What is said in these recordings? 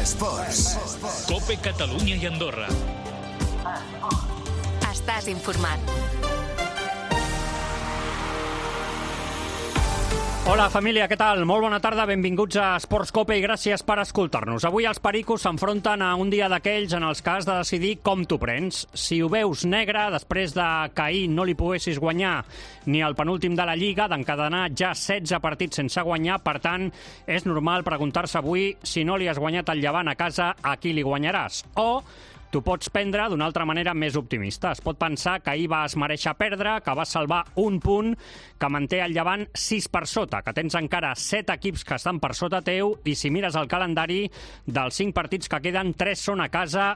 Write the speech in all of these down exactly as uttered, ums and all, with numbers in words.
Esports. Cope Catalunya i Andorra. Estàs informat. Hola família, què tal? Molt bona tarda, benvinguts a Esports Cope i gràcies per escoltar-nos. Avui els pericos s'enfronten a un dia d'aquells en els que has de decidir com t'ho prens. Si ho veus negre, després de que ahir no li poguessis guanyar ni el penúltim de la Lliga, d'encadenar ja setze partits sense guanyar, per tant, és normal preguntar-se avui si no li has guanyat el Llevant a casa, a qui li guanyaràs. O t'ho pots prendre d'una altra manera més optimista. Es pot pensar que ahir vas mereixer perdre, que vas salvar un punt, que manté el Llevant sis per sota, que tens encara set equips que estan per sota teu i si mires el calendari, dels cinc partits que queden, tres són a casa,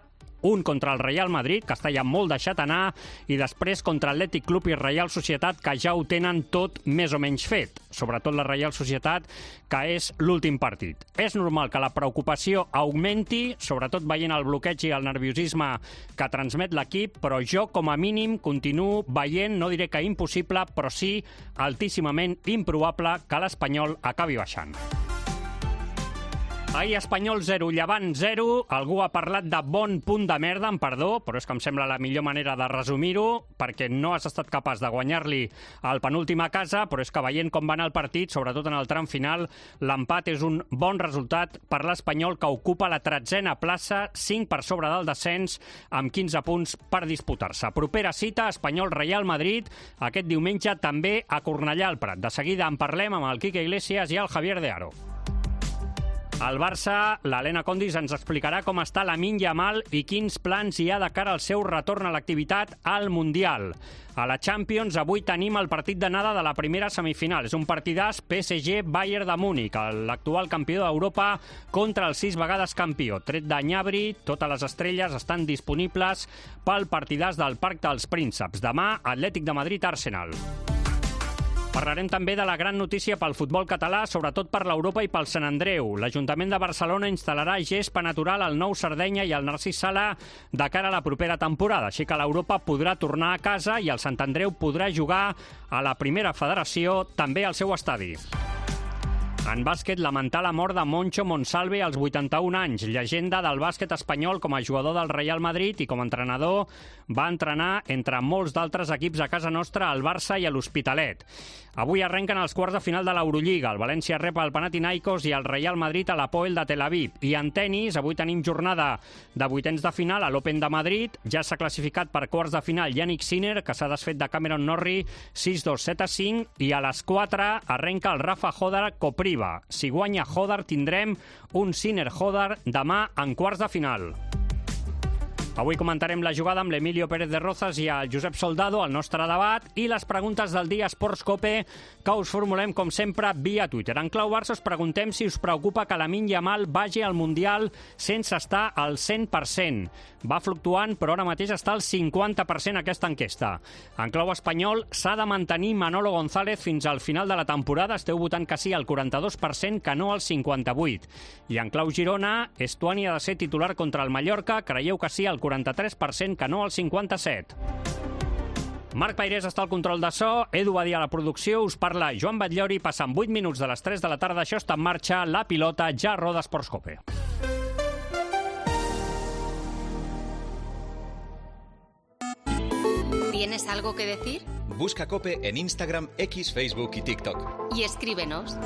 un contra el Real Madrid, que està ja molt deixat anar, i després contra Atlètic Club i Reial Societat, que ja ho tenen tot més o menys fet. Sobretot la Reial Societat, que és l'últim partit. És normal que la preocupació augmenti, sobretot veient el bloqueig i el nerviosisme que transmet l'equip, però jo, com a mínim, continuo veient, no diré que impossible, però sí altíssimament improbable que l'Espanyol acabi baixant. Ahir Espanyol zero, Llevant zero. Algú ha parlat de bon punt de merda, amb perdó, però és que em sembla la millor manera de resumir-ho, perquè no has estat capaç de guanyar-li el penúltim a casa, però és que veient com va anar el partit, sobretot en el tram final, l'empat és un bon resultat per l'Espanyol, que ocupa la tretzena plaça, cinc per sobre del descens, amb quinze punts per disputar-se. Propera cita, Espanyol-Real Madrid, aquest diumenge també a Cornellà al Prat. De seguida en parlem amb el Quique Iglesias i el Javier de Aro. Al Barça, l'Helena Condis ens explicarà com està Lamine Yamal i quins plans hi ha de cara al seu retorn a l'activitat al Mundial. A la Champions, avui tenim el partit d'anada de la primera semifinal. És un partidàs P S G-Bayern de Múnich, l'actual campió d'Europa contra el sis vegades campió. Tret de Gnabry, totes les estrelles estan disponibles pel partidàs del Parc dels Prínceps. Demà, Atlètic de Madrid-Arsenal. Parlarem també de la gran notícia pel futbol català, sobretot per l'Europa i pel Sant Andreu. L'Ajuntament de Barcelona instal·larà gespa natural al Nou Sardenya i al Narcís Sala de cara a la propera temporada, així que l'Europa podrà tornar a casa i el Sant Andreu podrà jugar a la primera federació, també al seu estadi. En bàsquet, lamentar la mort de Moncho Monsalve als vuitanta-un anys, llegenda del bàsquet espanyol com a jugador del Real Madrid i com a entrenador va entrenar entre molts d'altres equips a casa nostra, al Barça i a l'Hospitalet. Avui arrenquen els quarts de final de l'Eurolliga. El València rep el Panathinaikos i el Real Madrid a l'Apoel de Tel Aviv. I en tenis, avui tenim jornada de vuitens de final a l'Open de Madrid. Ja s'ha classificat per quarts de final Yannick Sinner, que s'ha desfet de Cameron Norrie, sis dos, set a cinc, i a les quatre arrenca el Rafa Hodar Kopriva. Si guanya Hodar, tindrem un Sinner Hodar demà en quarts de final. Avui comentarem la jugada amb l'Emilio Pérez de Rozas i el Josep Soldado, el nostre debat, i les preguntes del dia Esports Cope, que us formulem, com sempre, via Twitter. En clau Barça us preguntem si us preocupa que Lamine Yamal vagi al Mundial sense estar al cent per cent. Va fluctuant, però ara mateix està al cinquanta per cent aquesta enquesta. En clau espanyol, s'ha de mantenir Manolo González fins al final de la temporada. Esteu votant que sí al quaranta-dos per cent, que no al cinquanta-vuit per cent. I en clau Girona, Estuani ha de ser titular contra el Mallorca. Creieu que sí al quaranta-tres per cent, que no al cinquanta-set per cent. Marc Pairés està al control de so, Edu Badia a la producció, us parla Joan Batllori, passant vuit minuts de les tres de la tarda, això està en marxa, la pilota ja roda Esports Cope. ¿Tienes algo que decir? Busca Cope en Instagram, X, Facebook y TikTok. Y escríbenos.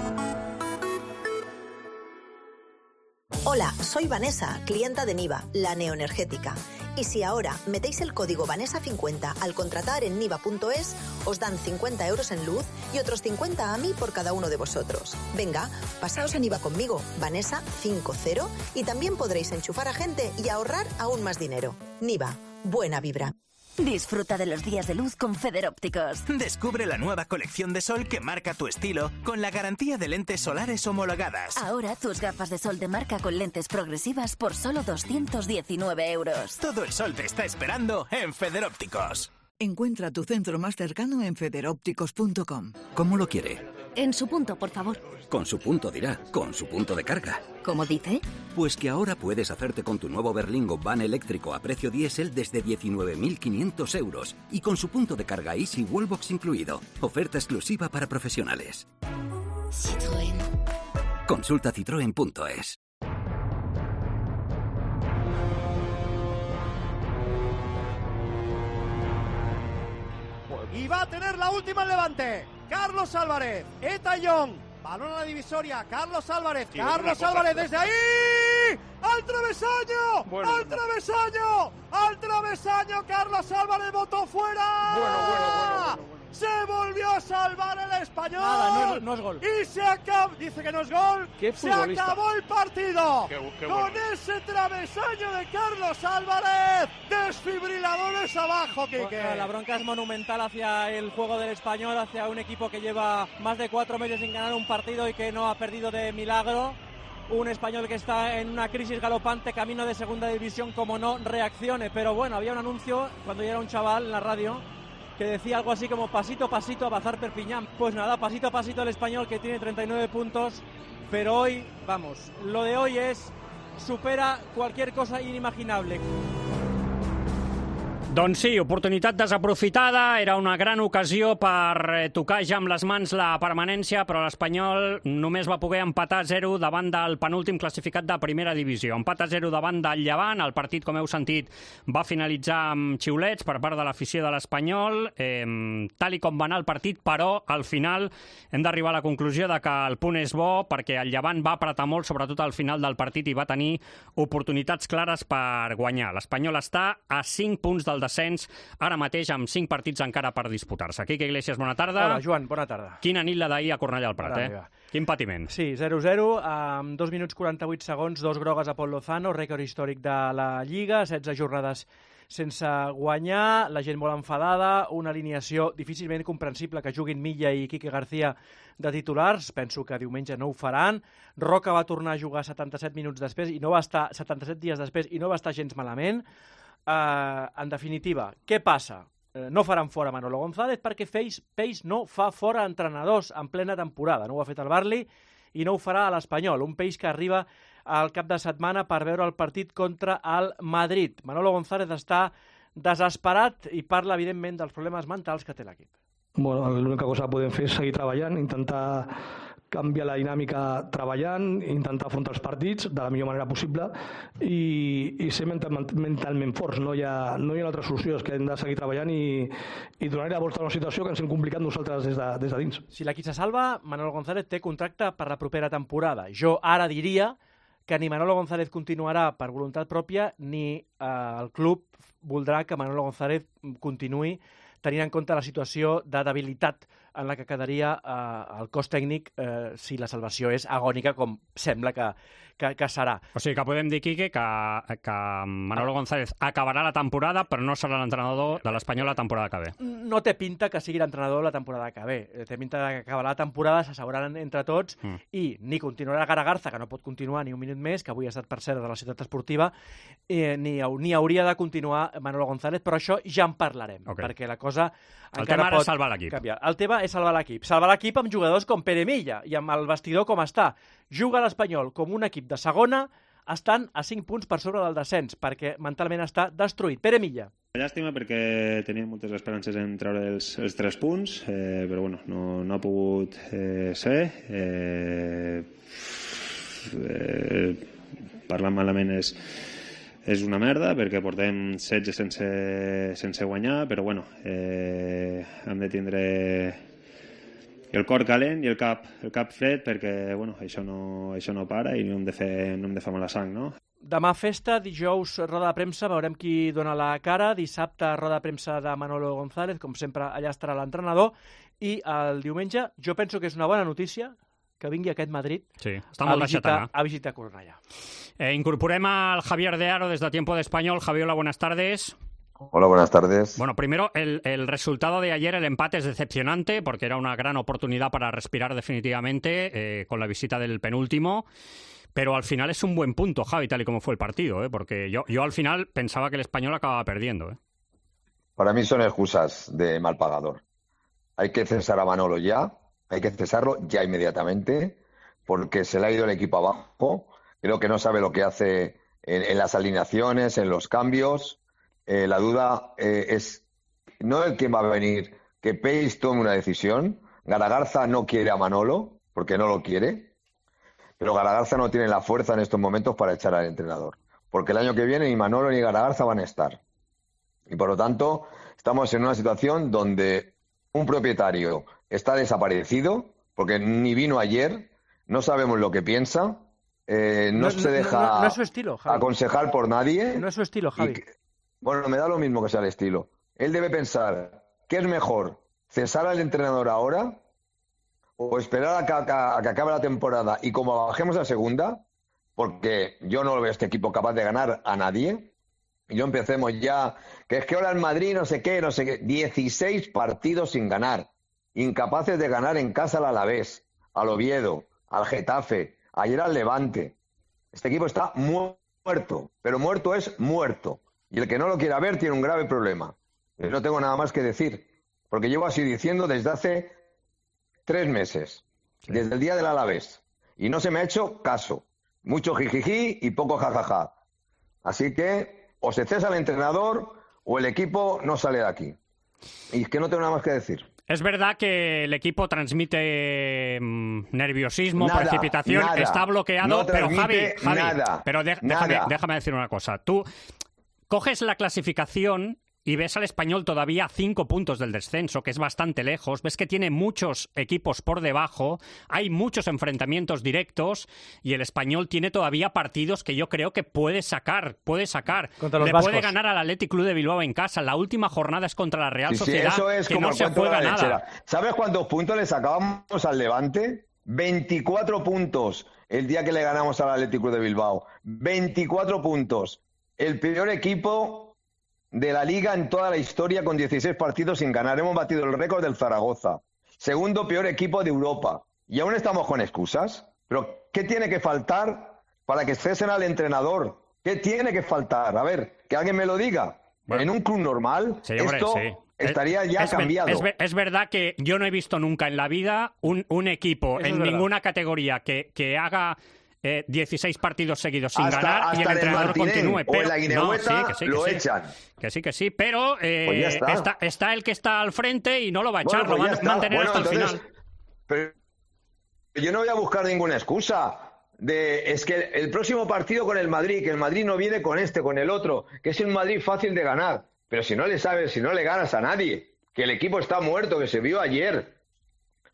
Hola, soy Vanessa, clienta de Niva, la neoenergética. Y si ahora metéis el código Vanessa cincuenta al contratar en niva punto es, os dan cincuenta euros en luz y otros cincuenta a mí por cada uno de vosotros. Venga, pasaos a Niva conmigo, Vanessa cincuenta, y también podréis enchufar a gente y ahorrar aún más dinero. Niva, buena vibra. Disfruta de los días de luz con Federópticos. Descubre la nueva colección de sol que marca tu estilo con la garantía de lentes solares homologadas. Ahora tus gafas de sol de marca con lentes progresivas por solo doscientos diecinueve euros. Todo el sol te está esperando en Federópticos. Encuentra tu centro más cercano en federópticos punto com. ¿Cómo lo quiere? En su punto, por favor. Con su punto dirá, con su punto de carga. ¿Cómo dice? Pues que ahora puedes hacerte con tu nuevo Berlingo van eléctrico a precio diésel desde diecinueve mil quinientos euros y con su punto de carga Easy Wallbox incluido. Oferta exclusiva para profesionales. Citroën. Consulta citroen punto es. y va a tener la última en Levante. Carlos Álvarez, Eta Young, balón a la divisoria, Carlos Álvarez, sí, Carlos Álvarez desde ahí, al travesaño, bueno, al travesaño, al travesaño, Carlos Álvarez botó fuera. Bueno, bueno, bueno, bueno, bueno. Se volvió a salvar el español. Nada, no, no es gol. Y se acabó, dice que no es gol. ¿Qué se acabó el partido. Qué, qué con bueno. ese travesaño de Carlos Álvarez. Desfibriladores abajo, Quique. Bueno, la bronca es monumental hacia el juego del español, hacia un equipo que lleva más de cuatro meses sin ganar un partido y que no ha perdido de milagro. Un español que está en una crisis galopante, camino de segunda división, como no reaccione. Pero bueno, había un anuncio cuando yo era un chaval en la radio que decía algo así como pasito a pasito avanzar Perpiñán. Pues nada, pasito a pasito el español, que tiene treinta y nueve puntos, pero hoy, vamos, lo de hoy es, supera cualquier cosa inimaginable. Doncs sí, oportunitat desaprofitada, era una gran ocasió per tocar ja amb les mans la permanència, però l'Espanyol només va poder empatar a zero davant del penúltim classificat de primera divisió. Empat a zero davant del Llevant, el partit, com heu sentit, va finalitzar amb xiulets per part de l'afició de l'Espanyol, eh, tal i com va anar el partit, però al final hem d'arribar a la conclusió de que el punt és bo perquè el Llevant va apretar molt, sobretot al final del partit, i va tenir oportunitats clares per guanyar. L'Espanyol està a cinc punts del descens, ara mateix amb cinc partits encara per disputar-se. Quique Iglesias, bona tarda. Hola, Joan, bona tarda. Quina nit la d'ahir a Cornellà al Prat, eh? Quin patiment. Sí, zero zero, amb dos minuts quaranta-vuit segons, dos grogues a Pol Lozano, rècord històric de la Lliga, setze jornades sense guanyar, la gent molt enfadada, una alineació difícilment comprensible que juguin Milla i Quique García de titulars, penso que diumenge no ho faran. Roca va tornar a jugar setanta-set minuts després i no va estar setanta-set dies després i no va estar gens malament. Uh, en definitiva, què passa? Uh, no faran fora Manolo González perquè Peix no fa fora entrenadors en plena temporada. No ho ha fet el Barli i no ho farà a l'Espanyol. Un Peix que arriba al cap de setmana per veure el partit contra el Madrid. Manolo González està desesperat i parla, evidentment, dels problemes mentals que té l'equip. Bueno, l'única cosa que podem fer és seguir treballant, intentar canviar la dinàmica treballant, intentar afrontar els partits de la millor manera possible i, i ser mental, mentalment forts. No hi, ha, no hi ha una altra solució, és que hem de seguir treballant i, i donar-hi la volta a una situació que ens hem complicat nosaltres des de, des de dins. Si l'equip se salva, Manolo González té contracte per la propera temporada. Jo ara diria que ni Manolo González continuarà per voluntat pròpia ni eh, el club voldrà que Manolo González continuï tenint en compte la situació de debilitat en la que quedaria eh, el cos tècnic eh, si la salvació és agònica, com sembla que, que, que serà. O sigui que podem dir, Quique, que, que Manolo González acabarà la temporada, però no serà l'entrenador de l'Espanyol la temporada que ve. No té pinta que sigui l'entrenador la temporada que ve. Té pinta que acabarà la temporada, s'asseguraran entre tots, mm. i ni continuarà Garagarza, que no pot continuar ni un minut més, que avui ha estat per cert de la ciutat esportiva, eh, ni, ni hauria de continuar Manolo González, però això ja en parlarem, okay. perquè la cosa el encara tema pot és salvar l'equip. Canviar. El tema és salvar l'equip. Salvar l'equip amb jugadors com Pere Milla i amb el vestidor com està. Juga l'Espanyol com un equip de segona, estan a cinc punts per sobre del descens, perquè mentalment està destruït. Pere Milla. Llàstima perquè tenia moltes esperances en treure els, els tres punts, eh, però bueno, no, no ha pogut eh, ser. Eh, eh, parlant malament és, és una merda perquè portem setze sense, sense guanyar, però bueno, eh, hem de tindre el cor calent i el cap, el cap fred perquè bueno, això, no, això no para i no hem de fer, no hem de fer mala sang, no? Demà festa, dijous roda de premsa, veurem qui dona la cara, dissabte roda de premsa de Manolo González, com sempre allà estarà l'entrenador, i el diumenge jo penso que és una bona notícia que vingui aquest Madrid sí, està molt a, visitar, deixat a visitar Cornellà. Eh, incorporem al Javier de Aro desde Tiempo de Español. Javier, hola, buenas tardes. Hola, buenas tardes. Bueno, primero, el, el resultado de ayer, el empate es decepcionante porque era una gran oportunidad para respirar definitivamente eh, con la visita del penúltimo. Pero al final es un buen punto, Javi, tal y como fue el partido, ¿eh? Porque yo, yo al final pensaba que el Español acababa perdiendo. ¿eh? Para mí son excusas de mal pagador. Hay que cesar a Manolo ya, hay que cesarlo ya inmediatamente, porque se le ha ido el equipo abajo. Creo que no sabe lo que hace en, en las alineaciones, en los cambios. Eh, la duda eh, es no el quién va a venir, que Peix tome una decisión. Garagarza no quiere a Manolo, porque no lo quiere. Pero Garagarza no tiene la fuerza en estos momentos para echar al entrenador. Porque el año que viene ni Manolo ni Garagarza van a estar. Y por lo tanto, estamos en una situación donde un propietario está desaparecido, porque ni vino ayer, no sabemos lo que piensa, eh, no, no se deja no, no, no es su estilo, Javi. aconsejar por nadie. No es su estilo, Javi. Que, bueno, me da lo mismo que sea el estilo. Él debe pensar, ¿qué es mejor? ¿Cesar al entrenador ahora? ¿O esperar a que, a, a que acabe la temporada y como bajemos a segunda? Porque yo no veo a este equipo capaz de ganar a nadie. Y no empecemos ya, que es que ahora el Madrid no sé qué, no sé qué. dieciséis partidos sin ganar. Incapaces de ganar en casa al Alavés, al Oviedo, al Getafe, ayer al Levante. Este equipo está muerto, pero muerto es muerto. Y el que no lo quiera ver tiene un grave problema. Yo no tengo nada más que decir, porque llevo así diciendo desde hace tres meses, sí. Desde el día del Alavés. Y no se me ha hecho caso. Mucho jijiji y poco jajaja. Así que o se cesa el entrenador o el equipo no sale de aquí. Y es que no tengo nada más que decir. Es verdad que el equipo transmite mmm, nerviosismo, nada, precipitación, nada. Está bloqueado, no pero Javi, Javi nada, pero de, nada. Déjame, déjame decir una cosa. Tú coges la clasificación y ves al Español todavía a cinco puntos del descenso, que es bastante lejos. Ves que tiene muchos equipos por debajo, hay muchos enfrentamientos directos y el Español tiene todavía partidos que yo creo que puede sacar, puede sacar. Contra los Le vascos. Puede ganar al Athletic Club de Bilbao en casa. La última jornada es contra la Real sí, Sociedad, sí, eso es que como no se juega nada. ¿Sabes cuántos puntos le sacábamos al Levante? veinticuatro puntos el día que le ganamos al Athletic Club de Bilbao. veinticuatro puntos. El peor equipo de la Liga en toda la historia con dieciséis partidos sin ganar. Hemos batido el récord del Zaragoza. Segundo peor equipo de Europa. Y aún estamos con excusas. Pero ¿qué tiene que faltar para que cesen al entrenador? ¿Qué tiene que faltar? A ver, que alguien me lo diga. Bueno, en un club normal, sí, hombre, esto sí. estaría ya es, cambiado. Es, es verdad que yo no he visto nunca en la vida un, un equipo Eso en es ninguna verdad. categoría que, que haga... Eh, dieciséis partidos seguidos sin hasta, ganar hasta y el entrenador Martínez, continúe. Pero, o en la Guinehueta no, sí, que sí, que lo sí. echan. Que sí, que sí, pero eh, pues ya está. Está, está el que está al frente y no lo va a echar, bueno, pues lo va a mantener bueno, hasta entonces, el final. Pero yo no voy a buscar ninguna excusa. De, es que el próximo partido con el Madrid, que el Madrid no viene con este, con el otro, que es un Madrid fácil de ganar. Pero si no le sabes, si no le ganas a nadie, que el equipo está muerto, que se vio ayer.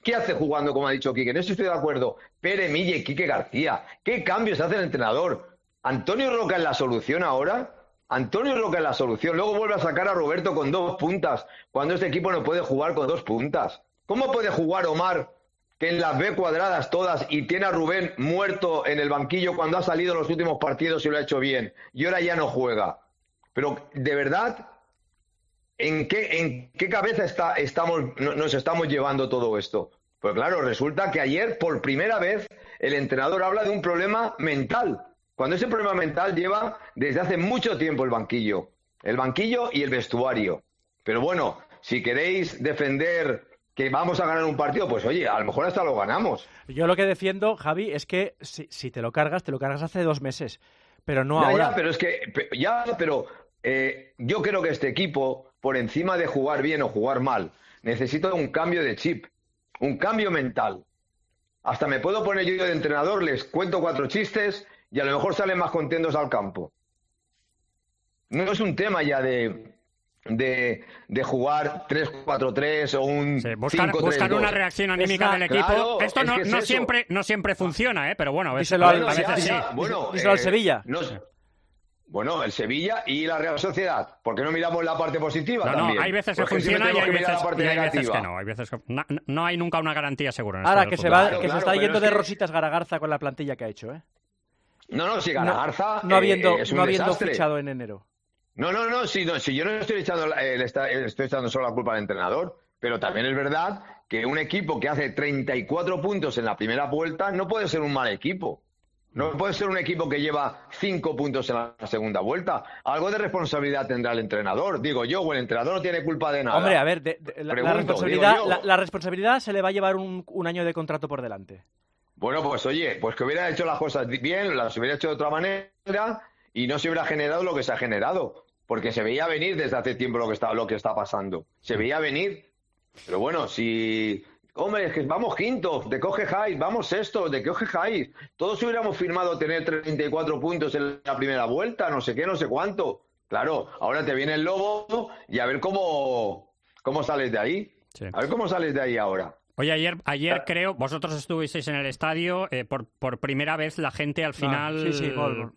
¿Qué hace jugando, como ha dicho Quique? En eso estoy de acuerdo. Pere Mille y Quique García. ¿Qué cambios hace el entrenador? ¿Antonio Roca es la solución ahora? Antonio Roca es la solución. Luego vuelve a sacar a Roberto con dos puntas, cuando este equipo no puede jugar con dos puntas. ¿Cómo puede jugar Omar, que en las ve cuadradas todas, y tiene a Rubén muerto en el banquillo cuando ha salido en los últimos partidos y lo ha hecho bien? Y ahora ya no juega. Pero, de verdad... ¿En qué, ¿En qué cabeza está, estamos, nos estamos llevando todo esto? Pues claro, resulta que ayer, por primera vez, el entrenador habla de un problema mental, cuando ese problema mental lleva desde hace mucho tiempo el banquillo. El banquillo y el vestuario. Pero bueno, si queréis defender que vamos a ganar un partido, pues oye, a lo mejor hasta lo ganamos. Yo lo que defiendo, Javi, es que si, si te lo cargas, te lo cargas hace dos meses, pero no ya, ahora. Ya, pero es que, ya, pero eh, yo creo que este equipo... por encima de jugar bien o jugar mal, necesito un cambio de chip, un cambio mental. Hasta me puedo poner yo de entrenador, les cuento cuatro chistes y a lo mejor salen más contentos al campo. No es un tema ya de, de, de jugar tres cuatro tres o un sí, buscar, cinco tres dos. Buscar una reacción anímica del equipo. Claro, Esto es no, que es no, eso. siempre, no siempre funciona, ¿eh? Pero bueno, a veces, díselo al, a veces ya, sí. ya, bueno, díselo al eh, Sevilla. No, Bueno, el Sevilla y la Real Sociedad. ¿Por qué no miramos la parte positiva no, también? No, hay veces que Porque funciona y hay que veces, la parte y hay veces negativa. que no. Hay veces que, no. No hay nunca una garantía segura. En Ahora, esto que, del se, fútbol. va, Claro, que claro, se está pero yendo es de que- rositas Garagarza con la plantilla que ha hecho, ¿eh? No, no, si Garagarza No, no habiendo, eh, es un no habiendo desastre. fichado en enero. No, no, no, si, no, si yo no estoy echando, eh, le está- eh, estoy echando solo la culpa al entrenador, pero también es verdad que un equipo que hace treinta y cuatro puntos en la primera vuelta no puede ser un mal equipo. No puede ser un equipo que lleva cinco puntos en la segunda vuelta. Algo de responsabilidad tendrá el entrenador. Digo yo, o el entrenador no tiene culpa de nada. Hombre, a ver, de, de, la, Pregunto, la, responsabilidad, digo yo. la, la responsabilidad se le va a llevar un, un año de contrato por delante. Bueno, pues oye, pues que hubiera hecho las cosas bien, las hubiera hecho de otra manera y no se hubiera generado lo que se ha generado. Porque se veía venir desde hace tiempo lo que está, lo que está pasando. Se veía venir. Pero bueno, si... Hombre, es que vamos quintos, de coge Jais, vamos sextos, de coge Jais. Todos hubiéramos firmado tener treinta y cuatro puntos en la primera vuelta, no sé qué, no sé cuánto. Claro, ahora te viene el Lobo y a ver cómo, cómo sales de ahí. Sí. A ver cómo sales de ahí ahora. Oye, ayer, ayer creo, vosotros estuvisteis en el estadio, eh, por, por primera vez la gente al final, ah, sí, sí, molt.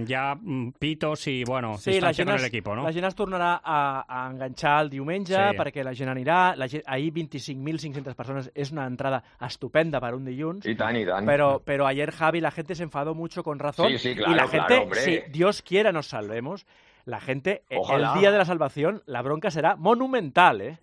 ja pitos i, bueno, sí, distància con l'equip, no? La gent es tornarà a, a enganxar el diumenge, sí. perquè la gent anirà. La gent, ahir vint-i-cinc mil cinc-centes persones és una entrada estupenda para un dilluns. Y tan, y tan. Pero, pero ayer, Javi, la gente se enfadó mucho con razón. Sí, sí, claro, y la gente, claro, hombre. si Dios quiera nos salvemos, la gente, Ojalá. el día de la salvación, la bronca será monumental, ¿eh?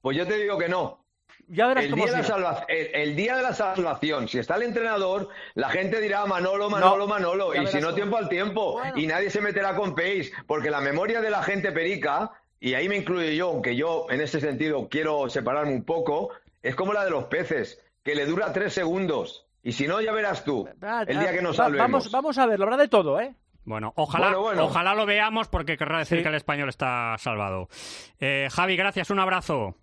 Pues yo te digo que no. Ya verás el, cómo día de la será. salva... el, el día de la salvación, si está el entrenador, la gente dirá Manolo, Manolo, No, Manolo, ya y si verás no, cómo. tiempo al tiempo. Bueno. Y nadie se meterá con Pace, porque la memoria de la gente perica, y ahí me incluyo yo, aunque yo en ese sentido quiero separarme un poco, es como la de los peces, que le dura tres segundos. Y si no, ya verás tú, el día que nos Va- salvemos. Vamos, vamos a ver, lo habrá de todo, ¿eh? Bueno, ojalá, Bueno, bueno. ojalá lo veamos porque querrá decir Sí. que el español está salvado. Eh, Javi, gràcies, un abrazo.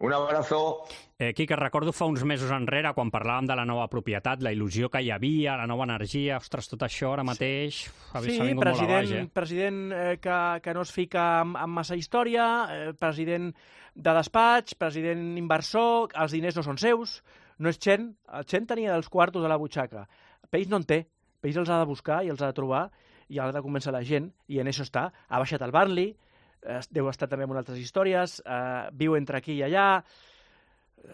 Un abrazo. Eh, Quique, recordo fa uns mesos enrere, quan parlàvem de la nova propietat, la il·lusió que hi havia, la nova energia, ostres, tot això ara mateix ha Sí, s'ha vingut president, molt a baix, eh? president eh, que, que no es fica amb, amb massa història, eh, president de despatx, president inversor, els diners no són seus, no és Chen, el Chen tenia els quartos a la butxaca. Peix no en té, Peix els ha de buscar i els ha de trobar i ha de convèncer la gent, i en això està. Ha baixat el Burnley, eh, deu estar també en altres històries, eh, viu entre aquí i allà.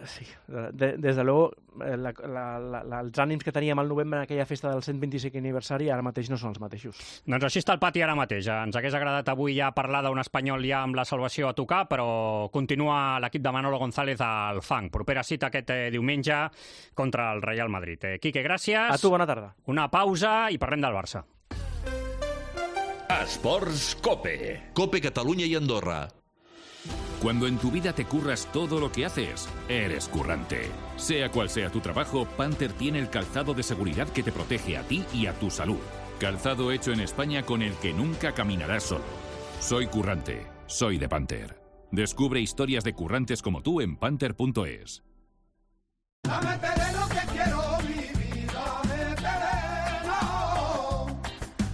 Sí, de, des de luego, eh, la, la, la, la, els ànims que teníem al novembre en aquella festa del cent vint-i-cinquè aniversari ara mateix no són els mateixos. Doncs així està el pati ara mateix. Ens hagués agradat avui ja parlar d'un espanyol ja amb la salvació a tocar, però continua l'equip de Manolo González al fang. Propera cita aquest eh, diumenge contra el Real Madrid. Eh, Quique, gràcies. A tu, bona tarda. Una pausa i parlem del Barça. Esports Cope. Cope Catalunya y Andorra. Cuando en tu vida te curras todo lo que haces, eres currante. Sea cual sea tu trabajo, Panther tiene el calzado de seguridad que te protege a ti y a tu salud. Calzado hecho en España con el que nunca caminarás solo. Soy currante. Soy de Panther. Descubre historias de currantes como tú en panther punto es. Dame terreno que quiero vivir, dame terreno,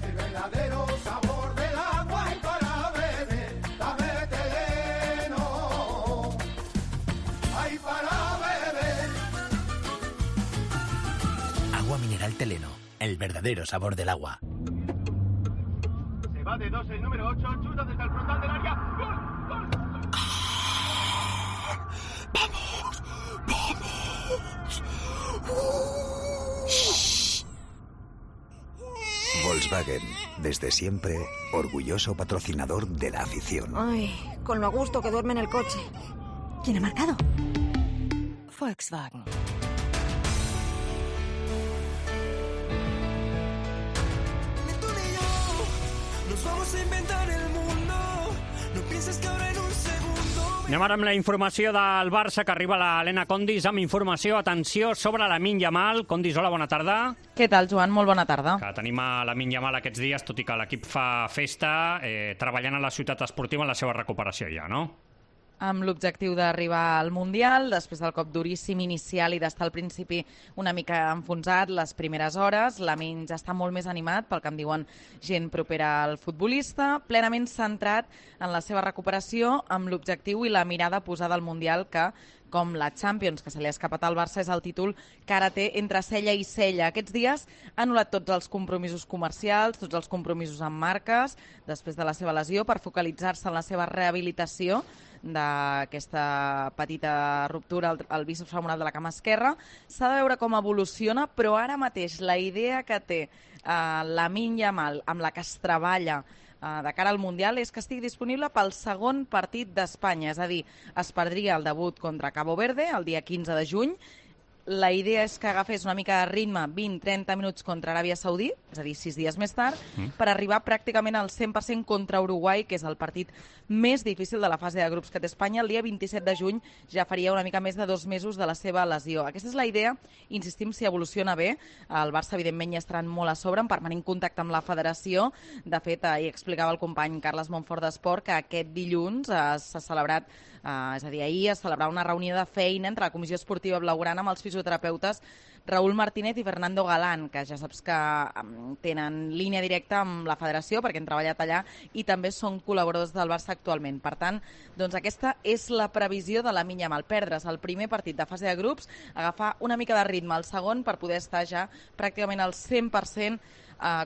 el verdadero sabor del agua y para beber, dame terreno, ay para beber. Agua mineral Teleno, el verdadero sabor del agua. Se va de dos el número ocho, chuta desde el frontal del área, gol, gol. ¡Vamos! ¡Vamos! Volkswagen, desde siempre, orgulloso patrocinador de la afición. Ay, con lo a gusto que duerme en el coche. ¿Quién ha marcado? Volkswagen. Nos vamos a inventar el mundo. No pienses que ahora en un segundo. Anem ara amb la informació del Barça, que arriba l'Helena Condis amb informació, atenció, sobre Lamine Yamal. Condis, hola, bona tarda. Què tal, Joan? Molt bona tarda. Que tenim a Lamine Yamal aquests dies, tot i que l'equip fa festa, eh, treballant a la ciutat esportiva en la seva recuperació ja, no? Amb l'objectiu d'arribar al Mundial, després del cop duríssim inicial i d'estar al principi una mica enfonsat les primeres hores, Lamine ja està molt més animat, pel que em diuen gent propera al futbolista, plenament centrat en la seva recuperació, amb l'objectiu i la mirada posada al Mundial, que, com la Champions, que se li ha escapat al Barça, és el títol que ara té entre cella i cella. Aquests dies ha anul·lat tots els compromisos comercials, tots els compromisos amb marques, després de la seva lesió, per focalitzar-se en la seva rehabilitació d'aquesta petita ruptura al, al bíceps femoral de la cama esquerra. S'ha de veure com evoluciona, però ara mateix la idea que té eh, Lamine Yamal, amb la que es treballa eh, de cara al Mundial, és que estigui disponible pel segon partit d'Espanya, és a dir, es perdria el debut contra Cabo Verde el dia quinze de juny. La idea és que agafés una mica de ritme, vint a trenta minuts contra Aràbia Saudí, és a dir, sis dies més tard, mm. per arribar pràcticament al cent per cent contra Uruguai, que és el partit més difícil de la fase de grups que té Espanya. El dia vint-i-set de juny ja faria una mica més de dos mesos de la seva lesió. Aquesta és la idea, insistim, si evoluciona bé. El Barça, evidentment, ja estaran molt a sobre, en permanent contacte amb la federació. De fet, ahir explicava el company Carles Montfort d'Esport que aquest dilluns eh, s'ha celebrat Uh, és a dir, ahir es celebrarà una reunió de feina entre la Comissió Esportiva Blaugrana amb els fisioterapeutes Raúl Martínez i Fernando Galán, que ja saps que tenen línia directa amb la federació perquè han treballat allà i també són col·laboradors del Barça actualment. Per tant, doncs aquesta és la previsió de Lamine Yamal, perdre's el primer partit de fase de grups, agafar una mica de ritme al segon per poder estar ja pràcticament al cent per cent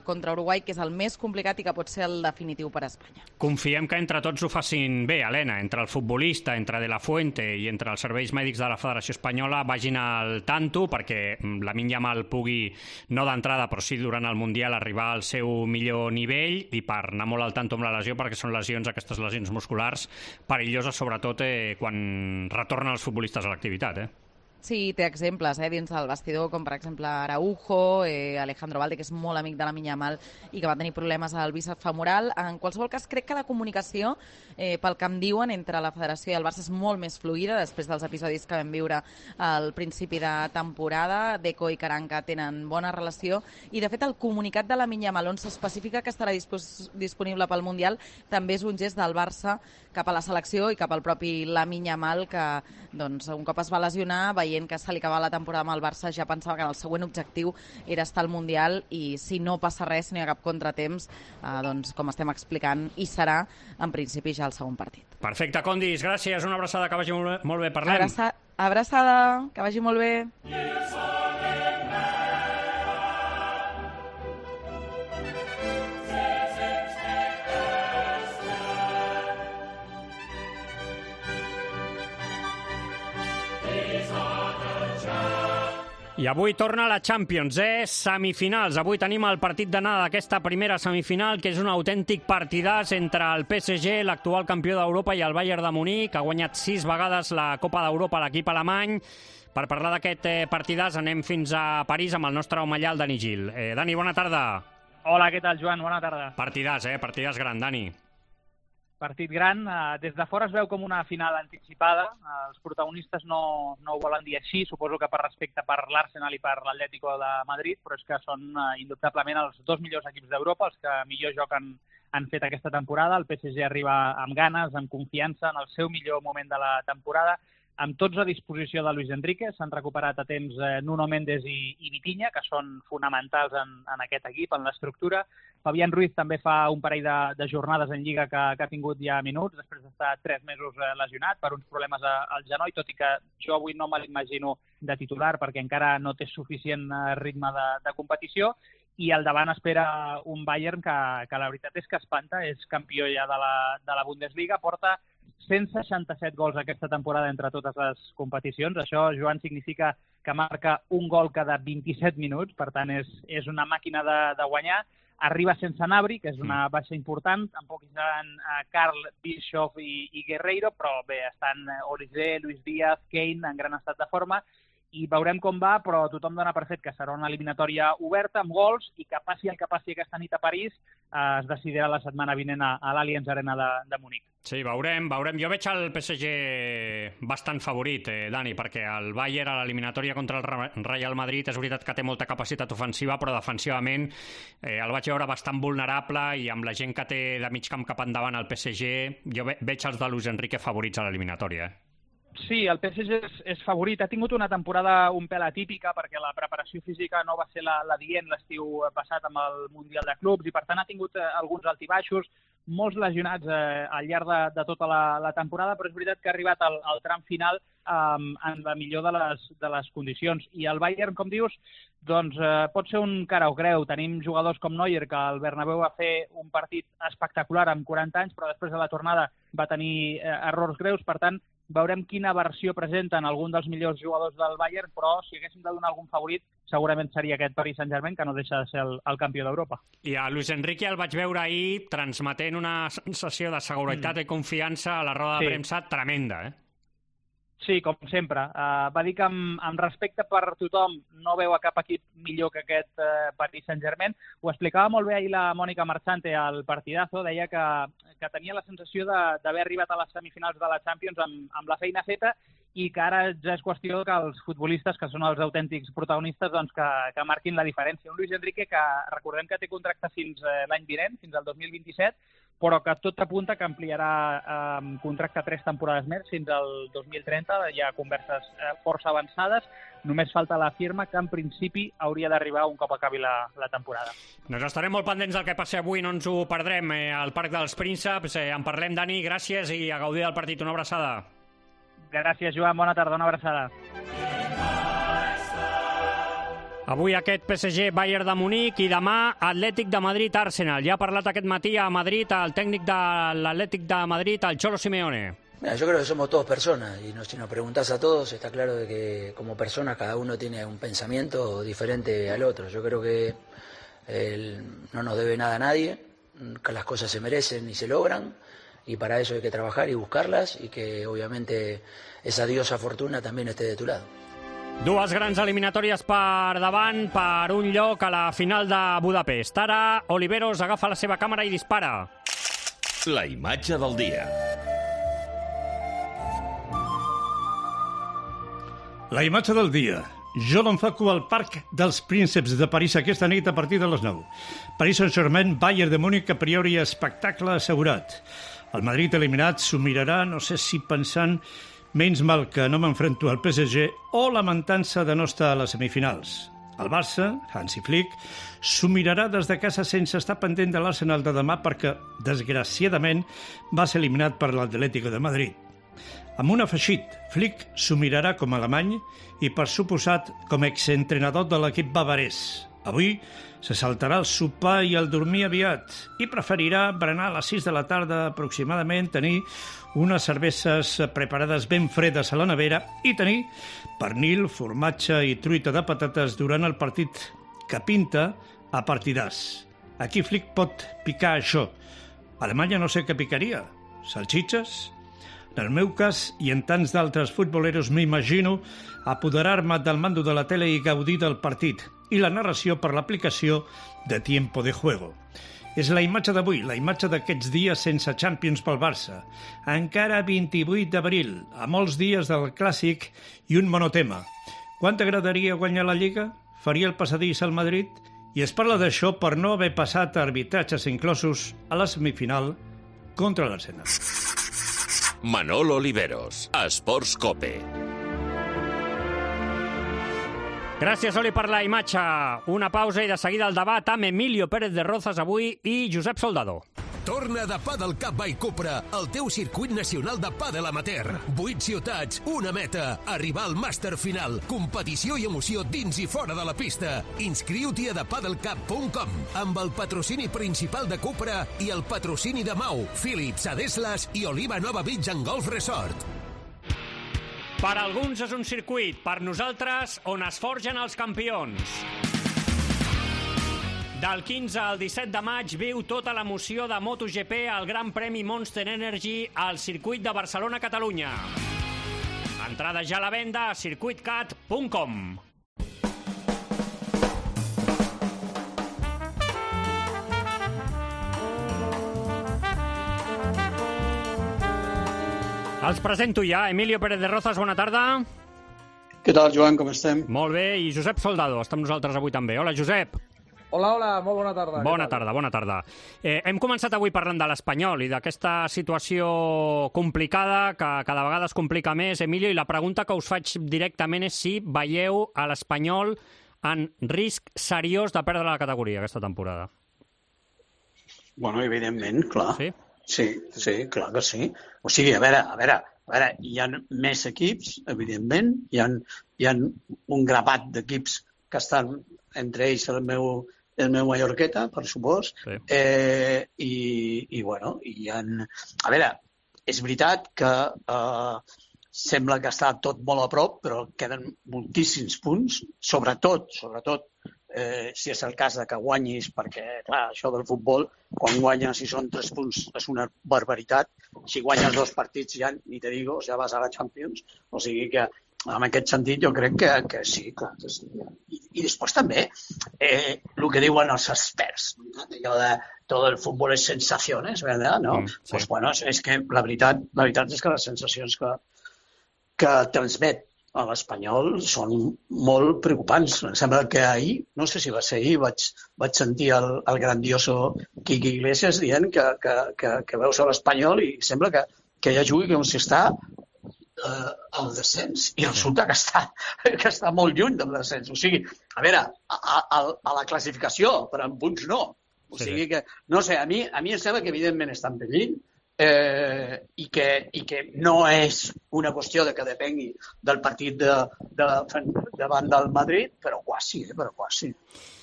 contra Uruguai, que és el més complicat i que pot ser el definitiu per a Espanya. Confiem que entre tots ho facin bé, Helena, entre el futbolista, entre De La Fuente i entre els serveis mèdics de la Federació Espanyola vagin al tanto perquè Lamine Yamal pugui, no d'entrada, però sí durant el Mundial, arribar al seu millor nivell i per anar molt al tanto amb la lesió, perquè són lesions, aquestes lesions musculars, perilloses, sobretot eh, quan retornen els futbolistes a l'activitat, eh? Sí, té exemples eh, dins del vestidor, com per exemple Araujo, eh, Alejandro Valde, que és molt amic de Lamine Yamal i que va tenir problemes al bíceps femoral. En qualsevol cas, crec que la comunicació, eh, pel que em diuen, entre la Federació i el Barça és molt més fluida després dels episodis que vam viure al principi de temporada. Deco i Caranca tenen bona relació i, de fet, el comunicat de Lamine Yamal on s'especifica que estarà dispos disponible pel Mundial també és un gest del Barça cap a la selecció i cap al propi Lamine Yamal, que doncs, un cop es va lesionar, veient que se li acabava la temporada amb el Barça, ja pensava que el següent objectiu era estar al Mundial i si no passa res, si no hi ha cap contratemps, eh, doncs, com estem explicant, hi serà, en principi, ja el segon partit. Perfecte, Condis, gràcies, una abraçada, que vagi molt bé, molt bé. Parlem. Abraça abraçada, que vagi molt bé. I avui torna la Champions, eh? Semifinals. Avui tenim el partit d'anada d'aquesta primera semifinal, que és un autèntic partidàs entre el P S G, l'actual campió d'Europa, i el Bayern de Munic, que ha guanyat sis vegades la Copa d'Europa a l'equip alemany. Per parlar d'aquest eh, partidàs anem fins a París amb el nostre home allà, el Dani Gil. Eh, Dani, bona tarda. Hola, què tal, Joan? Bona tarda. Partidàs, eh? Partidàs gran, Dani. Partit gran. Des de fora es veu com una final anticipada. Els protagonistes no, no ho volen dir així, suposo que per respecte per l'Arsenal i per l'Atlético de Madrid, però és que són indubtablement els dos millors equips d'Europa, els que millor joc han, han fet aquesta temporada. El P S G arriba amb ganes, amb confiança, en el seu millor moment de la temporada, amb tots a disposició de Luis Enrique. S'han recuperat a temps eh, Nuno Méndez i, i Vitinha, que són fonamentals en, en aquest equip, en l'estructura. Fabián Ruiz també fa un parell de, de jornades en Lliga que, que ha tingut ja minuts, després d'estar tres mesos eh, lesionat per uns problemes a, al genoll, tot i que jo avui no me l'imagino de titular perquè encara no té suficient eh, ritme de, de competició. I al davant espera un Bayern que, que la veritat és que espanta, és campió ja de la, de la Bundesliga, porta cent seixanta-set gols aquesta temporada entre totes les competicions. Això, Joan, significa que marca un gol cada vint-i-set minuts, per tant és, és una màquina de, de guanyar. Arriba sense Gnabry, que és una baixa important, tampoc hi seran Karl, Bischoff i, i Guerreiro, però bé, estan Olise, Luis Díaz, Kane en gran estat de forma, i veurem com va, però tothom dona per fet que serà una eliminatòria oberta, amb gols, i que passi el que passi aquesta nit a París, eh, es decidirà la setmana vinent a, a l'Allianz Arena de, de Munic. Sí, veurem, veurem. Jo veig el P S G bastant favorit, eh, Dani, perquè el Bayern a l'eliminatòria contra el Real Madrid és veritat que té molta capacitat ofensiva, però defensivament eh, el vaig veure bastant vulnerable i amb la gent que té de mig camp cap endavant el P S G, jo ve veig els de Luis Enrique favorits a l'eliminatòria, eh? Sí, el P S G és, és favorit. Ha tingut una temporada un pèl atípica perquè la preparació física no va ser la, la dient l'estiu passat amb el Mundial de Clubs i, per tant, ha tingut eh, alguns altibaixos, molts lesionats eh, al llarg de, de tota la, la temporada, però és veritat que ha arribat al, al tram final eh, en la millor de les, de les condicions. I el Bayern, com dius, doncs eh, pot ser un cara o creu. Tenim jugadors com Neuer, que al Bernabéu va fer un partit espectacular amb quaranta anys, però després de la tornada va tenir eh, errors greus, per tant, veurem quina versió presenten algun dels millors jugadors del Bayern, però si haguéssim de donar algun favorit, segurament seria aquest Paris Saint-Germain, que no deixa de ser el, el campió d'Europa. I a Luis Enrique el vaig veure ahir transmetent una sensació de seguretat mm. i confiança a la roda sí. de premsa tremenda, eh? Sí, com sempre. Uh, va dir que amb, amb respecte per tothom no veu a cap equip millor que aquest uh, Paris Saint-Germain. Ho explicava molt bé ahir la Mònica Marchante al partidazo. Deia que, que tenia la sensació d'haver arribat a les semifinals de la Champions amb, amb la feina feta i que ara ja és qüestió que els futbolistes, que són els autèntics protagonistes, doncs que, que marquin la diferència. Un Luis Enrique que recordem que té contracte fins eh, l'any vinent, fins al dos mil vint-i-set, però que tot apunta que ampliarà eh, contracte tres temporades més fins al dos mil trenta. Hi ha converses eh, força avançades. Només falta la firma, que en principi hauria d'arribar un cop acabi la, la temporada. Doncs estarem molt pendents del que passi avui, no ens ho perdrem eh, al Parc dels Prínceps. Eh, en parlem, Dani, gràcies i a gaudir del partit. Una abraçada. Gràcies, Joan. Bona tarda, una abraçada. Avui aquest P S G Bayern de Munic i demà Atlètic de Madrid Arsenal. Ja ha parlat aquest matí a Madrid el tècnic de l'Atlètic de Madrid, el Cholo Simeone. Mira, yo creo que somos todos personas y no, si nos preguntás a todos está claro de que como personas cada uno tiene un pensamiento diferente al otro. Yo creo que el, no nos debe nada a nadie, que las cosas se merecen y se logran y para eso hay que trabajar y buscarlas y que obviamente esa diosa fortuna también esté de tu lado. Dues grans eliminatòries per davant per un lloc a la final de Budapest. Ara Oliveros agafa la seva càmera i dispara. La imatge del dia. La imatge del dia. Jo l'enfoco al Parc dels Prínceps de París aquesta nit a partir de les nou. Paris Saint-Germain, Bayern de Múnich, a priori espectacle assegurat. El Madrid eliminat s'ho mirarà, no sé si pensant menys mal que no m'enfrento al P S G o lamentant-se de no estar a les semifinals. El Barça, Hansi Flick, s'ho mirarà des de casa sense estar pendent de l'Arsenal de demà perquè, desgraciadament, va ser eliminat per l'Atlético de Madrid. Amb un afegit, Flick s'ho mirarà com a alemany i, per suposat, com a exentrenador de l'equip bavarès. Avui se saltarà el sopar i el dormir aviat i preferirà berenar a les sis de la tarda aproximadament, tenir unes cerveses preparades ben fredes a la nevera i tenir pernil, formatge i truita de patates durant el partit que pinta a partidàs. Aquí Flick pot picar això. A Alemanya no sé què picaria. Salxitxes? En el meu cas, i en tants d'altres futboleros, m'imagino apoderar-me del mando de la tele i gaudir del partit i la narració per l'aplicació de Tiempo de Juego. És la imatge d'avui, la imatge d'aquests dies sense Champions pel Barça. Encara vint-i-vuit d'abril, a molts dies del Clàssic i un monotema. Quant t'agradaria guanyar la Lliga? Faria el passadís al Madrid? I es parla d'això per no haver passat arbitratges inclosos a la semifinal contra l'Arsenal. Manolo Oliveros, Esports Cope. Gràcies, Oli, per la imatge. Una pausa i de seguida el debat amb Emilio Pérez de Rozas avui i Josep Soldado. Torna de Padel Cup by Cupra, el teu circuit nacional de pàdel amateur. Vuit ciutats, una meta, arribar al màster final. Competició i emoció dins i fora de la pista. Inscriu-t'hi a the padel cup punt com amb el patrocini principal de Cupra i el patrocini de Mau, Philips, Adeslas i Oliva Nova Beach and Golf Resort. Per alguns és un circuit, per nosaltres on es forgen els campions. Del quinze al disset de maig viu tota l'emoció de MotoGP al Gran Premi Monster Energy al circuit de Barcelona-Catalunya. Entrada ja a la venda a circuit cat punt com. Els presento ja. Emilio Pérez de Rozas, bona tarda. Què tal, Joan, com estem? Molt bé, i Josep Soldado, està amb nosaltres avui també. Hola, Josep. Hola, hola, molt bona tarda. Bona tarda, bona tarda. Eh, hem començat avui parlant de l'Espanyol i d'aquesta situació complicada que cada vegada es complica més, Emilio, i la pregunta que us faig directament és si veieu a l'Espanyol en risc seriós de perdre la categoria aquesta temporada. Bueno, evidentment, clar. Sí? Sí, sí, clar que sí. O sigui, a veure, a veure, a veure, hi ha més equips, evidentment, hi ha, hi ha un grapat d'equips que estan, entre ells el meu, el meu Mallorqueta, per supòs, sí. eh, i, i, bueno, hi ha... A veure, és veritat que eh, sembla que està tot molt a prop, però queden moltíssims punts, sobretot, sobretot, Eh, si és el cas de que guanyis, perquè, clar, això del futbol, quan guanyes, si són tres punts, és una barbaritat. Si guanyes dos partits ja, ni te digo, ja vas a la Champions. O sigui que, en aquest sentit, jo crec que, que sí, clar. Que sí. I, I després també, eh, el que diuen els experts, allò de tot el futbol és sensacions, ¿verdad? No? Mm, sí. Pues bueno, és que la veritat, la veritat és que les sensacions que, que transmet a l'Espanyol són molt preocupants. Em sembla que ahir, no sé si va ser ahir, vaig, vaig sentir el, el grandioso Quique Iglesias dient que, que, que, que veus a l'Espanyol i sembla que, que ja jugui com si està eh, al descens. I resulta que està, que està molt lluny del descens. O sigui, a veure, a, a, a la classificació, però en punts no. O sigui que, no sé, a mi, a mi em sembla que evidentment està en perill, Eh, i, que, i que no és una qüestió de que depengui del partit de, de, davant del Madrid, però quasi, eh, però quasi.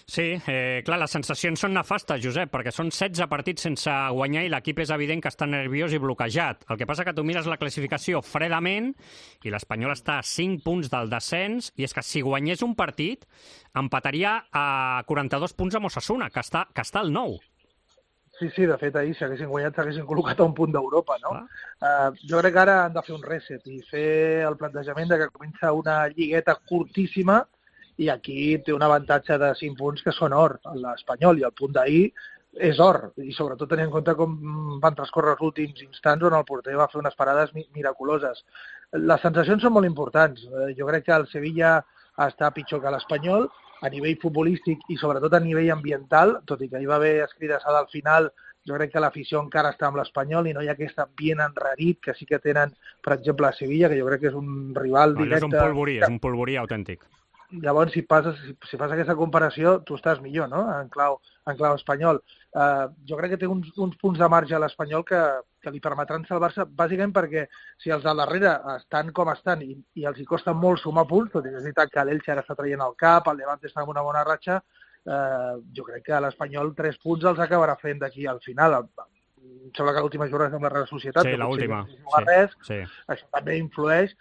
Sí, eh, clar, les sensacions són nefastes, Josep, perquè són setze partits sense guanyar i l'equip és evident que està nerviós i bloquejat. El que passa que tu mires la classificació fredament i l'Espanyol està a cinc punts del descens i és que si guanyés un partit empataria a quaranta-dos punts amb Osasuna, que està, que està al nou. Sí, sí, de fet, ahir, si haguessin guanyat, s'haguessin col·locat a un punt d'Europa, no? Uh, jo crec que ara han de fer un reset i fer el plantejament de que comença una lligueta curtíssima i aquí té un avantatge de cinc punts que són or, l'Espanyol, i el punt d'ahir és or, i sobretot tenint en compte com van transcórrer els últims instants on el porter va fer unes parades miraculoses. Les sensacions són molt importants. Jo crec que el Sevilla està pitjor que l'Espanyol, a nivell futbolístic i sobretot a nivell ambiental, tot i que hi va haver escridassada al final, jo crec que l'afició encara està amb l'Espanyol i no hi ha aquest ambient enrarit que sí que tenen, per exemple, a Sevilla, que jo crec que és un rival no, directe. És un polvorí, és un polvorí autèntic. Llavors, si, passes, si, si fas aquesta comparació, tu estàs millor, no?, en clau, en clau espanyol. Uh, jo crec que té uns, uns punts de marge a l'Espanyol que, que li permetran salvar-se, bàsicament perquè si els de darrere estan com estan i, i els hi costa molt sumar punts, tot i que és veritat que l'Elche ara està traient el cap, el Levante està en una bona ratxa, uh, jo crec que l'Espanyol tres punts els acabarà fent d'aquí al final. Em sembla que l'última jornada és amb la Real Societat. Sí, l'última. Si no res, sí, sí. Això també influeix.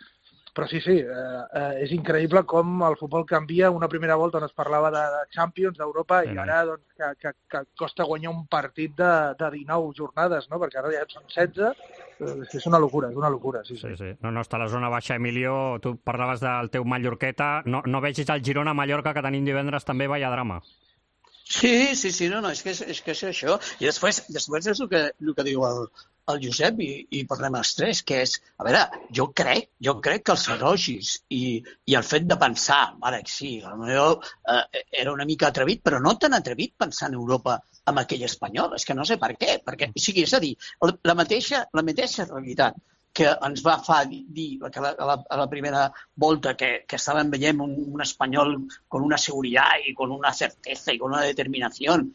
Però sí, sí, eh, eh, és increïble com el futbol canvia. Una primera volta on es parlava de, de Champions, d'Europa, sí, i ara doncs, que, que, que costa guanyar un partit de, de dinou jornades, no? Perquè ara ja són setze. Eh, és una locura, és una locura. Sí, sí, sí. No, no, està a la zona baixa, Emilio. Tu parlaves del teu Mallorqueta. No, no vegis el Girona-Mallorca que tenim divendres també, vaya drama. Sí, sí, sí, no, no, és que és, és, que és això. I després, després és el que, el que diu el, el Josep i, i parlem els tres, que és, a veure, jo crec, jo crec que els elogis i, i el fet de pensar, vale, sí, potser eh, era una mica atrevit, però no tan atrevit pensar en Europa amb aquell espanyol, és que no sé per què, perquè, o sigui, és a dir, la mateixa, la mateixa realitat que ens va fa dir que a la, a la primera volta que, que estàvem veient un, un espanyol con una seguridad y con una certeza y con una determinación.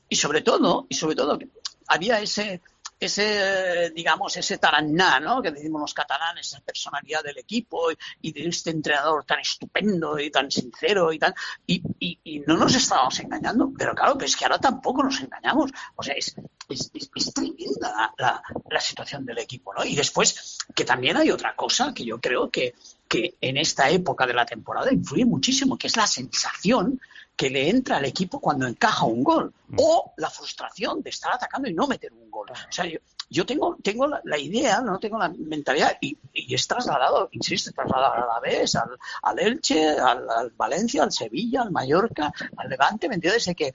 Y sobre todo, y sobre todo había ese, ese digamos, ese taraná, ¿no?, que decimos los catalanes, esa personalidad del equipo y, y de este entrenador tan estupendo y tan sincero y tan... Y, y, y no nos estábamos engañando, pero claro, que es que ahora tampoco nos engañamos. O sea, es, es, es, es tremenda la, la, la situación del equipo, ¿no? Y después, que también hay otra cosa que yo creo que, que en esta época de la temporada influye muchísimo, que es la sensación que le entra al equipo cuando encaja un gol, o la frustración de estar atacando y no meter un gol. O sea, yo, yo tengo, tengo la, la idea, no tengo la mentalidad, y, y es trasladado, insisto, trasladado al Alavés, al, al Elche, al, al Valencia, al Sevilla, al Mallorca, al Levante, ¿me entiendes? De que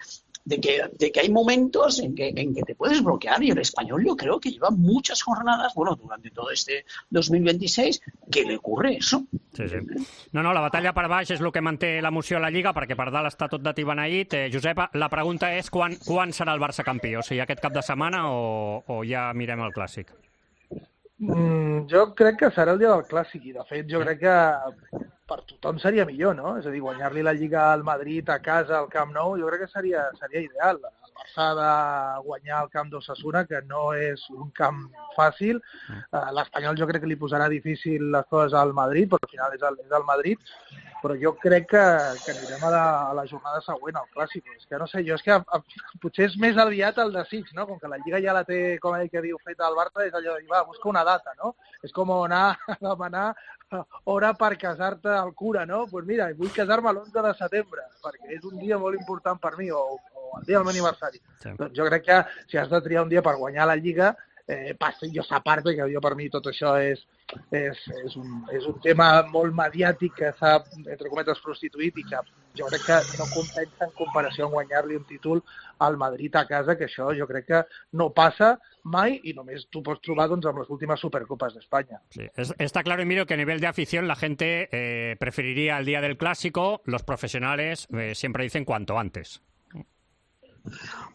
De que, de que hay momentos en que, en que te puedes bloquear, y el Español yo creo que lleva muchas jornadas, bueno, durante todo este dos mil veintiséis, que le ocurre eso. Sí, sí. No, no, la batalla per baix és el que manté l'emoció a la Lliga, perquè per dalt està tot de tibeneït. Eh, Josep, la pregunta és quan, quan serà el Barça campió? O sigui, aquest cap de setmana o, o ja mirem el Clàssic? Mm, jo crec que serà el dia del Clàssic, i de fet jo crec que per tothom seria millor, no? És a dir, guanyar-li la Lliga al Madrid a casa, al Camp Nou, jo crec que seria, seria ideal. El Barça ha de guanyar el camp d'Osasuna, que no és un camp fàcil. L'Espanyol jo crec que li posarà difícil les coses al Madrid, però al final és el, és el Madrid. Però jo crec que, que anirem a la, a la jornada següent, al Clàssic. És que no sé, jo és que a, a, potser és més aviat el desig, no? Com que la Lliga ja la té, com ell que diu, feta al Barça, és allò de dir, va, busca una data, no? És com anar a demanar hora per casar-te al cura, no? Doncs pues mira, vull casar-me l'onze de setembre, perquè és un dia molt important per mi, o, o el dia del meu aniversari. Sí. Doncs jo crec que si has de triar un dia per guanyar la Lliga, eh, passi jo a part, perquè jo per mi tot això és, és, és, un, és un tema molt mediàtic que s'ha, entre cometes, prostituït i que jo crec que no compensa en comparació amb guanyar-li un títol al Madrid a casa, que això jo crec que no passa mai i només tu pots trobar doncs, amb les últimes Supercopas d'Espanya. Sí, es, está claro, Emilio, que a nivel de afición la gente eh, preferiría el día del Clásico, los profesionales eh, siempre dicen cuanto antes.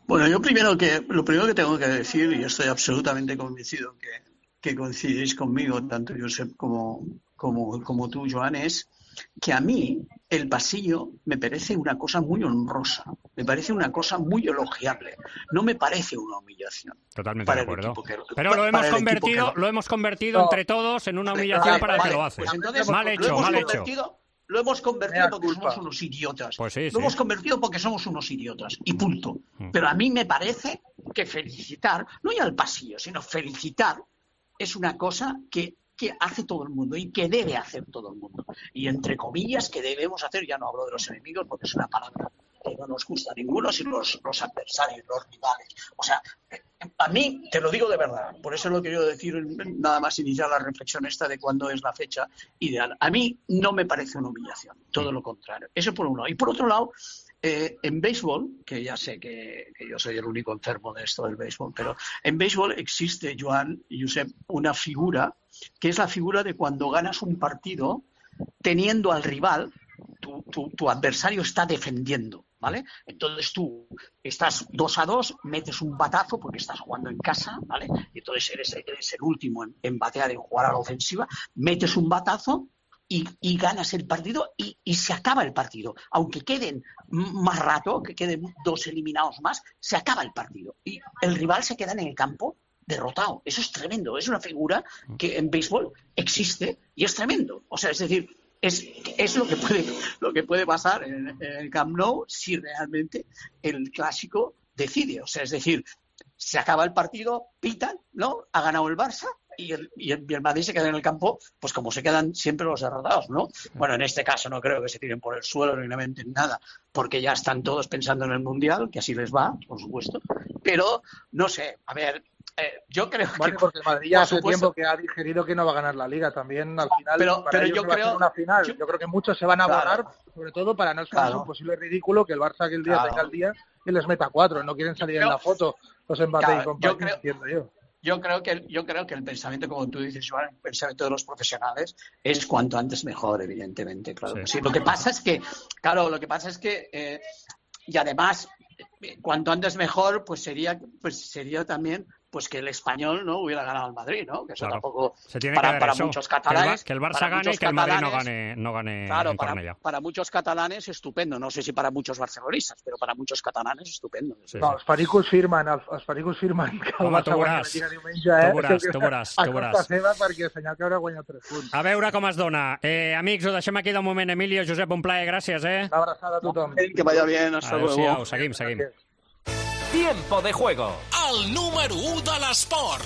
Bueno, yo primero que, lo primero que tengo que decir, y estoy absolutamente convencido que, que coincidís conmigo, tanto Josep como, como, como tú, Joan, es que a mí el pasillo me parece una cosa muy honrosa, me parece una cosa muy elogiable, no me parece una humillación. Totalmente de acuerdo. Que, Pero lo hemos convertido, lo hemos convertido no. entre todos en una humillación vale, para vale, el que lo hace. Pues entonces, mal hecho, mal hecho. Lo hemos convertido porque somos unos idiotas. Pues sí, lo sí. hemos convertido porque somos unos idiotas. Y punto. Pero a mí me parece que felicitar, no ya al pasillo, sino felicitar, es una cosa que, que hace todo el mundo y que debe hacer todo el mundo. Y entre comillas que debemos hacer, ya no hablo de los enemigos porque es una palabra que no nos gusta a ninguno, sino los, los adversarios, los rivales. O sea, a mí, te lo digo de verdad, por eso lo he querido decir, nada más iniciar la reflexión esta de cuándo es la fecha ideal. A mí no me parece una humillación, todo lo contrario. Eso por un lado. Y por otro lado, eh, en béisbol, que ya sé que, que yo soy el único enfermo de esto del béisbol, pero en béisbol existe, Joan y Josep, una figura, que es la figura de cuando ganas un partido teniendo al rival, tu, tu, tu adversario está defendiendo. ¿Vale? Entonces tú estás dos a dos, metes un batazo porque estás jugando en casa, ¿vale? Y entonces eres, eres el último en, en batear, en jugar a la ofensiva, metes un batazo y, y ganas el partido y, y se acaba el partido. Aunque queden más rato, que queden dos eliminados más, se acaba el partido. Y el rival se queda en el campo derrotado. Eso es tremendo. Es una figura que en béisbol existe y es tremendo. O sea, es decir... Es, es lo que puede lo que puede pasar en, en el Camp Nou si realmente el Clásico decide. O sea, es decir, se acaba el partido, pitan, ¿no? Ha ganado el Barça y el, y el, y el Madrid se queda en el campo, pues como se quedan siempre los derrotados, ¿no? Bueno, en este caso no creo que se tiren por el suelo ni lamenten nada, porque ya están todos pensando en el Mundial, que así les va, por supuesto. Pero, no sé, a ver... Eh, yo creo bueno, que porque el Madrid ya hace supuesto, tiempo que ha digerido que no va a ganar la Liga también al final. Pero, para pero ellos yo no creo va a ser una final. Yo, yo creo que muchos se van a claro, borrar, sobre todo para no estar claro. un posible ridículo que el Barça aquel día claro. tenga el día y les meta cuatro. No quieren salir yo, en la foto los Mbappé claro, y compañía, yo creo, entiendo yo. Yo creo que yo creo que el pensamiento, como tú dices, Joan, el pensamiento de los profesionales es cuanto antes mejor, evidentemente, claro. Sí. Sí. Lo que pasa es que, claro, lo que pasa es que eh, y además cuanto antes mejor, pues sería, pues sería también pues que el Español no hubiera ganado al Madrid, ¿no? Que eso claro. tampoco se tiene para, que para eso, muchos catalanes, que el, que el Barça gane y que el Madrid no gane, no gane claro, en para, para muchos catalanes estupendo. No sé si para muchos barcelonistas, pero para muchos catalanes estupendo. Sí, no, sí. els pericos firmen, els, els pericos firmen que el Home, Barça guanya la Lliga diumenge, eh? Tu veuràs, tu veuràs, tu veuràs. A costa seva perquè el senyor que haurà guanyat tres punts. A veure com es dona. Eh, amics, ho deixem aquí de moment. Emilio, Josep, un plaer, gràcies, eh? Una abraçada a tothom. Que vaya bien, hasta luego. Adéu-siau, seguim, seguim. Gràcies. Tiempo de juego. El número u de l'esport.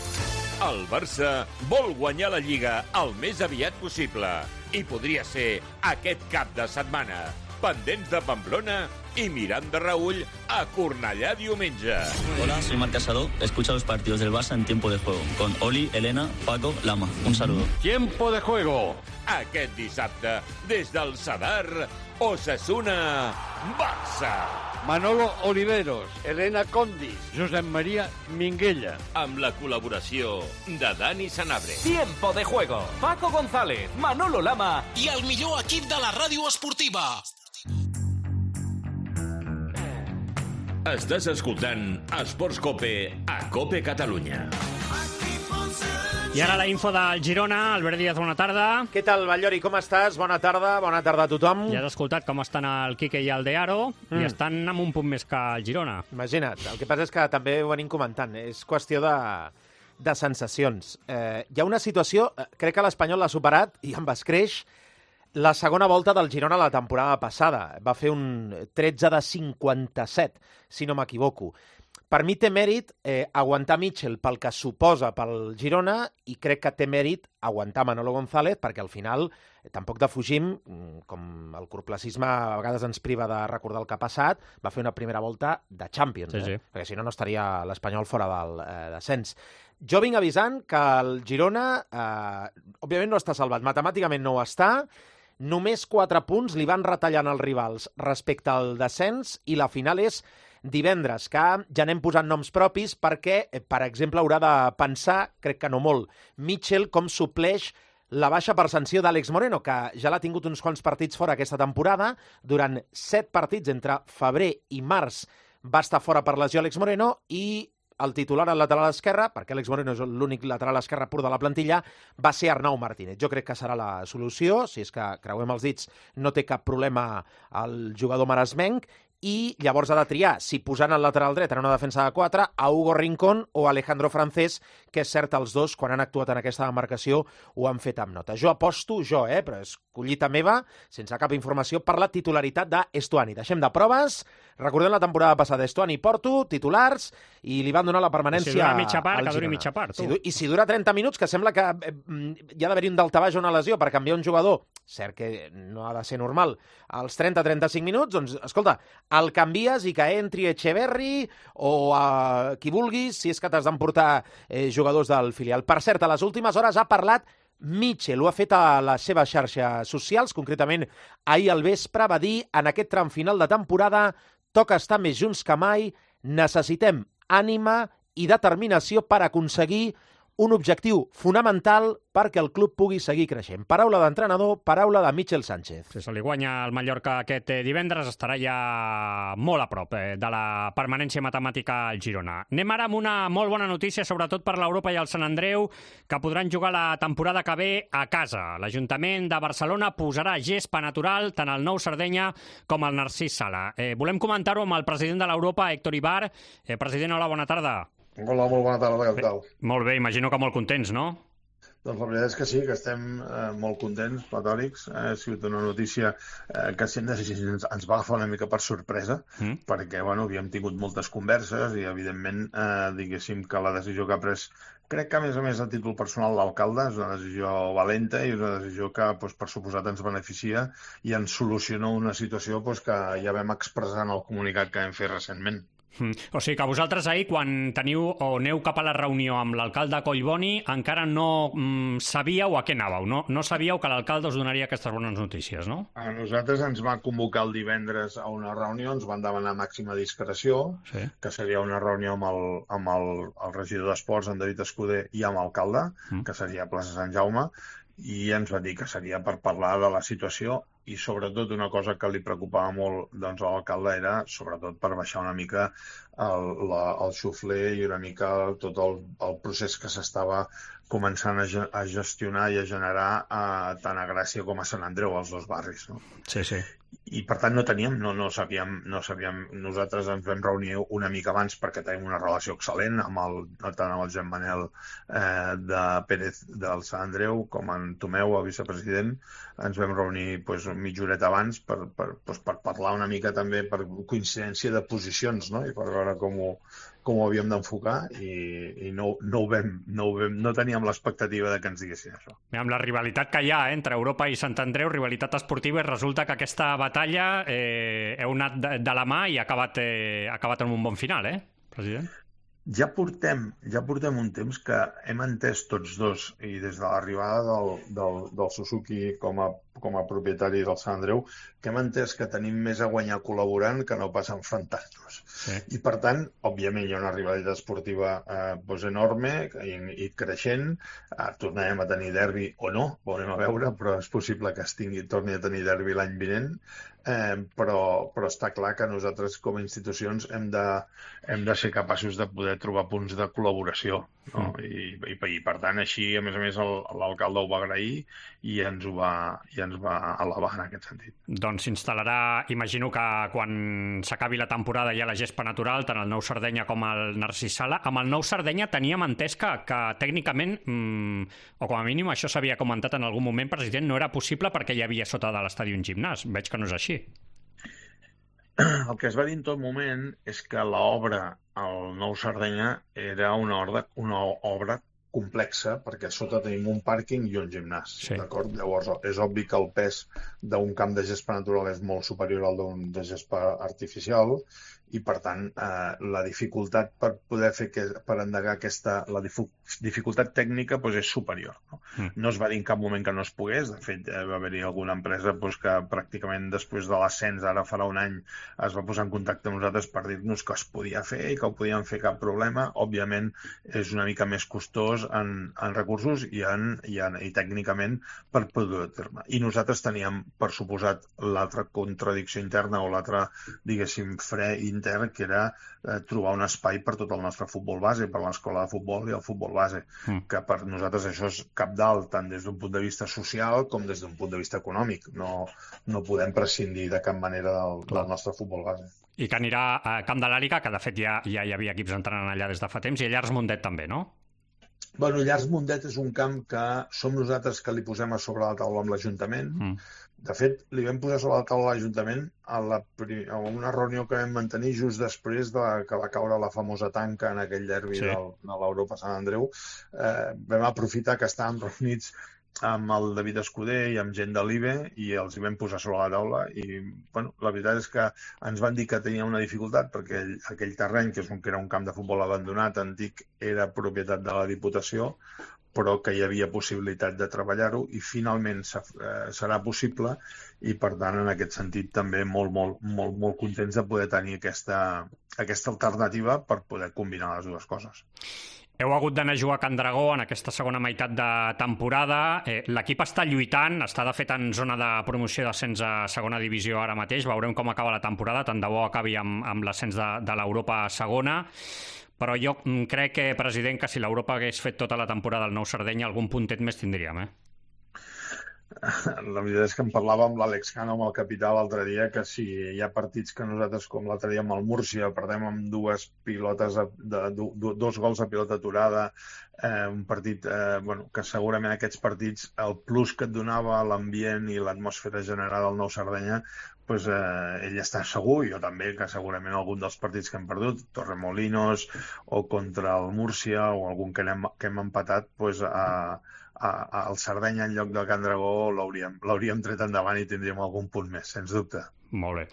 El Barça vol guanyar la Lliga el més aviat possible. I podria ser aquest cap de setmana. Pendents de Pamplona y Miranda Raúl a Cornellà diumenge. Hola, soy Marc Casado. Escucha los partidos del Barça en Tiempo de Juego. Con Oli, Elena, Paco, Lama. Un saludo. Tiempo de Juego. Aquest dissabte, des del Sadar, Osasuna, Barça. Manolo Oliveros, Elena Condis, Josep Maria Minguella. Amb la col·laboració de Dani Sanabria. Tiempo de Juego. Paco González, Manolo Lama i el millor equip de la ràdio esportiva. Estàs escoltant Esports Cope a Cope Catalunya. I ara la info del Girona. Albert Díaz, bona tarda. Què tal, Ballori? Com estàs? Bona tarda, bona tarda a tothom. Ja has escoltat com estan el Quique i el Dearo mm. i estan amb un punt més que el Girona. Imagina't, el que passa és que també ho venim comentant, és qüestió de, de sensacions. Eh, hi ha una situació, crec que l'Espanyol l'ha superat i amb escreix la segona volta del Girona la temporada passada. Va fer un tretze de cinquanta-set, si no m'equivoco. Per mi té mèrit eh, aguantar Mitchell pel que suposa pel Girona i crec que té mèrit aguantar Manolo González perquè al final eh, tampoc defugim, com el corplacisme a vegades ens priva de recordar el que ha passat, va fer una primera volta de Champions, sí, eh? sí. Perquè si no no estaria l'Espanyol fora del eh, descens. Jo vinc avisant que el Girona, eh, òbviament no està salvat, matemàticament no ho està. Només quatre punts li van retallant els rivals respecte al descens i la final és divendres, que ja anem posant noms propis perquè, per exemple, haurà de pensar, crec que no molt, Mitchell com supleix la baixa per sanció d'Àlex Moreno, que ja l'ha tingut uns quants partits fora aquesta temporada. Durant set partits entre febrer i març va estar fora per lesió Àlex Moreno i el titular al lateral esquerre, perquè Àlex Moreno és l'únic lateral esquerre pur de la plantilla, va ser Arnau Martínez. Jo crec que serà la solució, si és que creuem els dits, no té cap problema el jugador maresmenc, i llavors ha de triar si posant el lateral dret en una defensa de quatre a Hugo Rincón o Alejandro Francés, que és cert, els dos, quan han actuat en aquesta demarcació, ho han fet amb nota. Jo aposto, jo, eh, però és collita meva, sense cap informació, per la titularitat d'Estuani. Deixem de proves, recordem la temporada passada, Estuani i Porto, titulars, i li van donar la permanència si dura mitja part, al que duri Girona. mitja part, tu. Si, I si dura trenta minuts, que sembla que eh, hi ha d'haver un daltabaix o una lesió per canviar un jugador, cert que no ha de ser normal, als trenta a trenta-cinc minuts, doncs, escolta, el canvies i que entri Echeverri o a qui vulguis, si és que t'has d'emportar eh, jugadors del filial. Per cert, a les últimes hores ha parlat Mitchell, ho ha fet a les seves xarxes socials, concretament ahir al vespre, va dir en aquest tram final de temporada toca estar més junts que mai, necessitem ànima i determinació per aconseguir un objectiu fonamental perquè el club pugui seguir creixent. Paraula d'entrenador, paraula de Mitchell Sánchez. Si se li guanya el Mallorca aquest divendres, estarà ja molt a prop eh, de la permanència matemàtica al Girona. Anem ara amb una molt bona notícia, sobretot per l'Europa i el Sant Andreu, que podran jugar la temporada que ve a casa. L'Ajuntament de Barcelona posarà gespa natural tant al Nou Sardenya com al Narcís Sala. Eh, volem comentar-ho amb el president de l'Europa, Héctor Ibar. Eh, president, hola, bona tarda. Hola, molt bona tarda, què tal? Molt bé, imagino que molt contents, no? Doncs la veritat és que sí, que estem eh, molt contents, platòrics. Eh, ha sigut una notícia eh, que si ens, ens, ens va agafar una mica per sorpresa, mm. perquè bueno, havíem tingut moltes converses i, evidentment, eh, diguéssim que la decisió que ha pres, crec que, a més a més, a títol personal l'alcalde, és una decisió valenta i és una decisió que, doncs, per suposat, ens beneficia i ens soluciona una situació doncs, que ja vam expressar en el comunicat que vam fer recentment. Mm. O sigui que vosaltres ahir, quan teniu o aneu cap a la reunió amb l'alcalde Collboni, encara no mm, sabíeu a què anàveu, no? No sabíeu que l'alcalde us donaria aquestes bones notícies, no? A nosaltres ens va convocar el divendres a una reunió, ens van demanar màxima discreció, sí. que seria una reunió amb el, amb el, el regidor d'Esports, en David Escuder, i amb l'alcalde, mm. que seria a plaça Sant Jaume, i ens va dir que seria per parlar de la situació i sobretot una cosa que li preocupava molt doncs, a l'alcalde era sobretot per baixar una mica el, la, el xufler i una mica tot el, el procés que s'estava començant a, a gestionar i a generar a, tant a Gràcia com a Sant Andreu, els dos barris. No? Sí, sí. I per tant no teníem, no, no sabíem, no sabíem, nosaltres ens vam reunir una mica abans perquè tenim una relació excel·lent amb el, tant amb el Jean Manel eh, de Pérez del Sant Andreu com en Tomeu, el vicepresident, ens vam reunir pues, mitja horeta abans per, per, pues, per parlar una mica també per coincidència de posicions, no? I per veure com ho, com ho havíem d'enfocar i, i no, no, ho vam, no, ho vam, no teníem l'expectativa de que ens diguessin això. Amb la rivalitat que hi ha eh, entre Europa i Sant Andreu, rivalitat esportiva, i resulta que aquesta batalla eh, heu anat de, de la mà i ha acabat, eh, ha acabat en un bon final, eh, president? Ja portem, ja portem un temps que hem entès tots dos, i des de l'arribada del, del, del Suzuki com a, com a propietari del Sant Andreu, que hem entès que tenim més a guanyar col·laborant que no pas enfrontant-nos. Sí. I, per tant, òbviament hi ha una rivalitat esportiva eh, doncs enorme i, i creixent. Eh, tornarem a tenir derbi o no, veurem a veure, però és possible que es tingui, torni a tenir derbi l'any vinent. Eh, però, però està clar que nosaltres com a institucions hem de, hem de ser capaços de poder trobar punts de col·laboració, no? Mm. I, i, i per tant així a més a més l'alcalde ho va agrair i ens ho va, i ens va elevar en aquest sentit. Doncs s'instal·larà, imagino que quan s'acabi la temporada hi ha la gespa natural, tant el Nou Sardenya com el Narcís Sala. Amb el Nou Sardenya teníem entès que, que tècnicament, mmm, o com a mínim això s'havia comentat en algun moment, president, no era possible perquè hi havia sota de l'estadi un gimnàs. Veig que no és així. El que es va dir en tot moment és que l'obra al Nou Sardenya era una obra, una obra complexa perquè a sota tenim un pàrquing i un gimnàs. Sí. D'acord? Llavors és obvi que el pes d'un camp de gespa natural és molt superior al d'un de gespa artificial i per tant eh, la dificultat per poder fer que, per endegar aquesta la difu, dificultat tècnica doncs és superior. No? Mm. no es va dir en cap moment que no es pogués, de fet eh, va haver-hi alguna empresa doncs, que pràcticament després de l'ascens, ara farà un any, es va posar en contacte amb nosaltres per dir-nos que es podia fer i que ho podien fer cap problema. Òbviament és una mica més costós en, en recursos i, en, i, en, i tècnicament per produir terme. I nosaltres teníem, per suposat, l'altra contradicció interna o l'altre, diguéssim, fre intern, que era eh, trobar un espai per tot el nostre futbol base, per l'escola de futbol i el futbol base, mm. que per nosaltres això és cabdal, tant des d'un punt de vista social com des d'un punt de vista econòmic. No, no podem prescindir de cap manera del, del nostre futbol base. I que anirà a Camp de l'Àliga, que de fet ja, ja hi havia equips entrenant allà des de fa temps, i a Llars Mundet també, no? Bueno, Llars Mundet és un camp que som nosaltres que li posem a sobre la taula amb l'Ajuntament. Mm. De fet, li vam posar sobre la taula a l'Ajuntament a, la, a una reunió que vam mantenir just després de que va caure la famosa tanca en aquell derbi sí. del, de l'Europa Sant Andreu. Eh, vam aprofitar que estàvem reunits amb el David Escuder i amb gent de l'I B E i els hi vam posar sobre la taula i bueno, la veritat és que ens van dir que tenia una dificultat perquè aquell, aquell terreny, que, és un, que era un camp de futbol abandonat, antic, era propietat de la Diputació, però que hi havia possibilitat de treballar-ho i finalment serà possible i per tant en aquest sentit també molt, molt, molt, molt contents de poder tenir aquesta, aquesta alternativa per poder combinar les dues coses. Heu hagut d'anar a jugar a Can Dragó en aquesta segona meitat de temporada. Eh, L'equip està lluitant, està de fet en zona de promoció d'ascens a segona divisió ara mateix. Veurem com acaba la temporada, tant de bo acabi amb, amb l'ascens de, de l'Europa segona. Però jo crec, que, president, que si l'Europa hagués fet tota la temporada al Nou Sardenya, algun puntet més tindríem, eh? La veritat és que en parlàvem amb l'Àlex Cano, amb el capità, l'altre dia, que si hi ha partits que nosaltres, com l'altre dia amb el Múrcia, perdem amb dues pilotes, de, de, dos gols a pilota aturada, eh, un partit eh, bueno, que segurament aquests partits, el plus que et donava l'ambient i l'atmosfera general al Nou Sardenya, pues, eh, ell està segur, jo també, que segurament algun dels partits que hem perdut, Torremolinos o contra el Múrcia o algun que hem, que hem empatat, pues, a, a, a el Sardenya en lloc del Can Dragó l'hauríem tret endavant i tindríem algun punt més, sens dubte. Molt bé.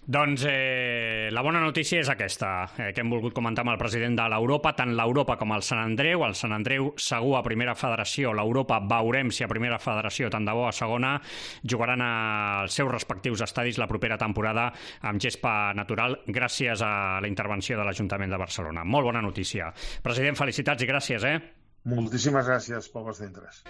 Doncs eh, la bona notícia és aquesta, eh, que hem volgut comentar amb el president de l'Europa, tant l'Europa com el Sant Andreu. El Sant Andreu segur a primera federació, l'Europa veurem si a primera federació, tant de bo a segona, jugaran als seus respectius estadis la propera temporada amb gespa natural gràcies a la intervenció de l'Ajuntament de Barcelona. Molt bona notícia. President, felicitats i gràcies, eh? Moltíssimes gràcies pel vostre interès.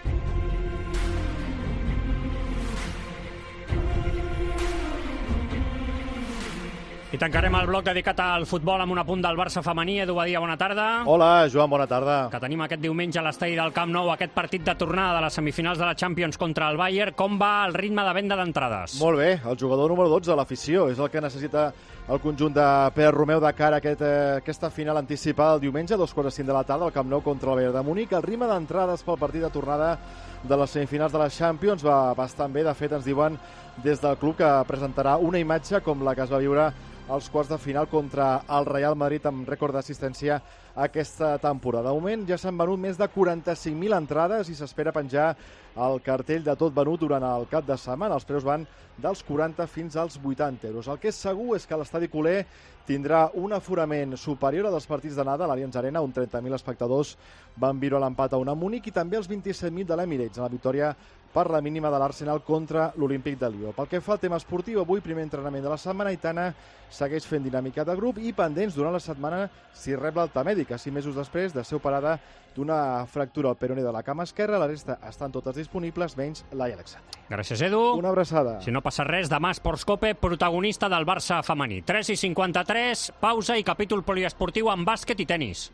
I tancarem el bloc dedicat al futbol amb un apunt del Barça femení. Edu Badia, bona tarda. Hola, Joan, bona tarda. Que tenim aquest diumenge a l'estadi del Camp Nou aquest partit de tornada de les semifinals de la Champions contra el Bayern. Com va el ritme de venda d'entrades? Molt bé, el jugador número dotze de l'afició és el que necessita el conjunt de Pere Romeu de cara a aquest, eh, aquesta final anticipada el diumenge, a dos quarts de cinc de la tarda, al Camp Nou contra el Bayern de Múnich. El ritme d'entrades pel partit de tornada de les semifinals de la Champions va bastant bé. De fet, ens diuen des del club que presentarà una imatge com la que es va viure als quarts de final contra el Real Madrid amb rècord d'assistència aquesta temporada. De moment ja s'han venut més de quaranta-cinc mil entrades i s'espera penjar el cartell de tot venut durant el cap de setmana. Els preus van dels quaranta fins als vuitanta euros. El que és segur és que l'estadi culer tindrà un aforament superior a dels partits d'anada a l'Allianz Arena, on trenta mil espectadors van viure l'empat a una Múnich, i també els vint-i-set mil de l'Emirates, en la victòria per la mínima de l'Arsenal contra l'Olímpic de Lió. Pel que fa al tema esportiu, avui primer entrenament de la setmana, Aitana segueix fent dinàmica de grup i pendents durant la setmana si rep l'alta mèdica, sis mesos després de ser operada d'una fractura al peroné de la cama esquerra. La resta estan totes disponibles, menys Laia Alexandre. Gràcies, Edu. Una abraçada. Si no passa res, demà Esports Cope, protagonista del Barça femení. tres i cinquanta-tres, pausa i capítol poliesportiu amb bàsquet i tenis.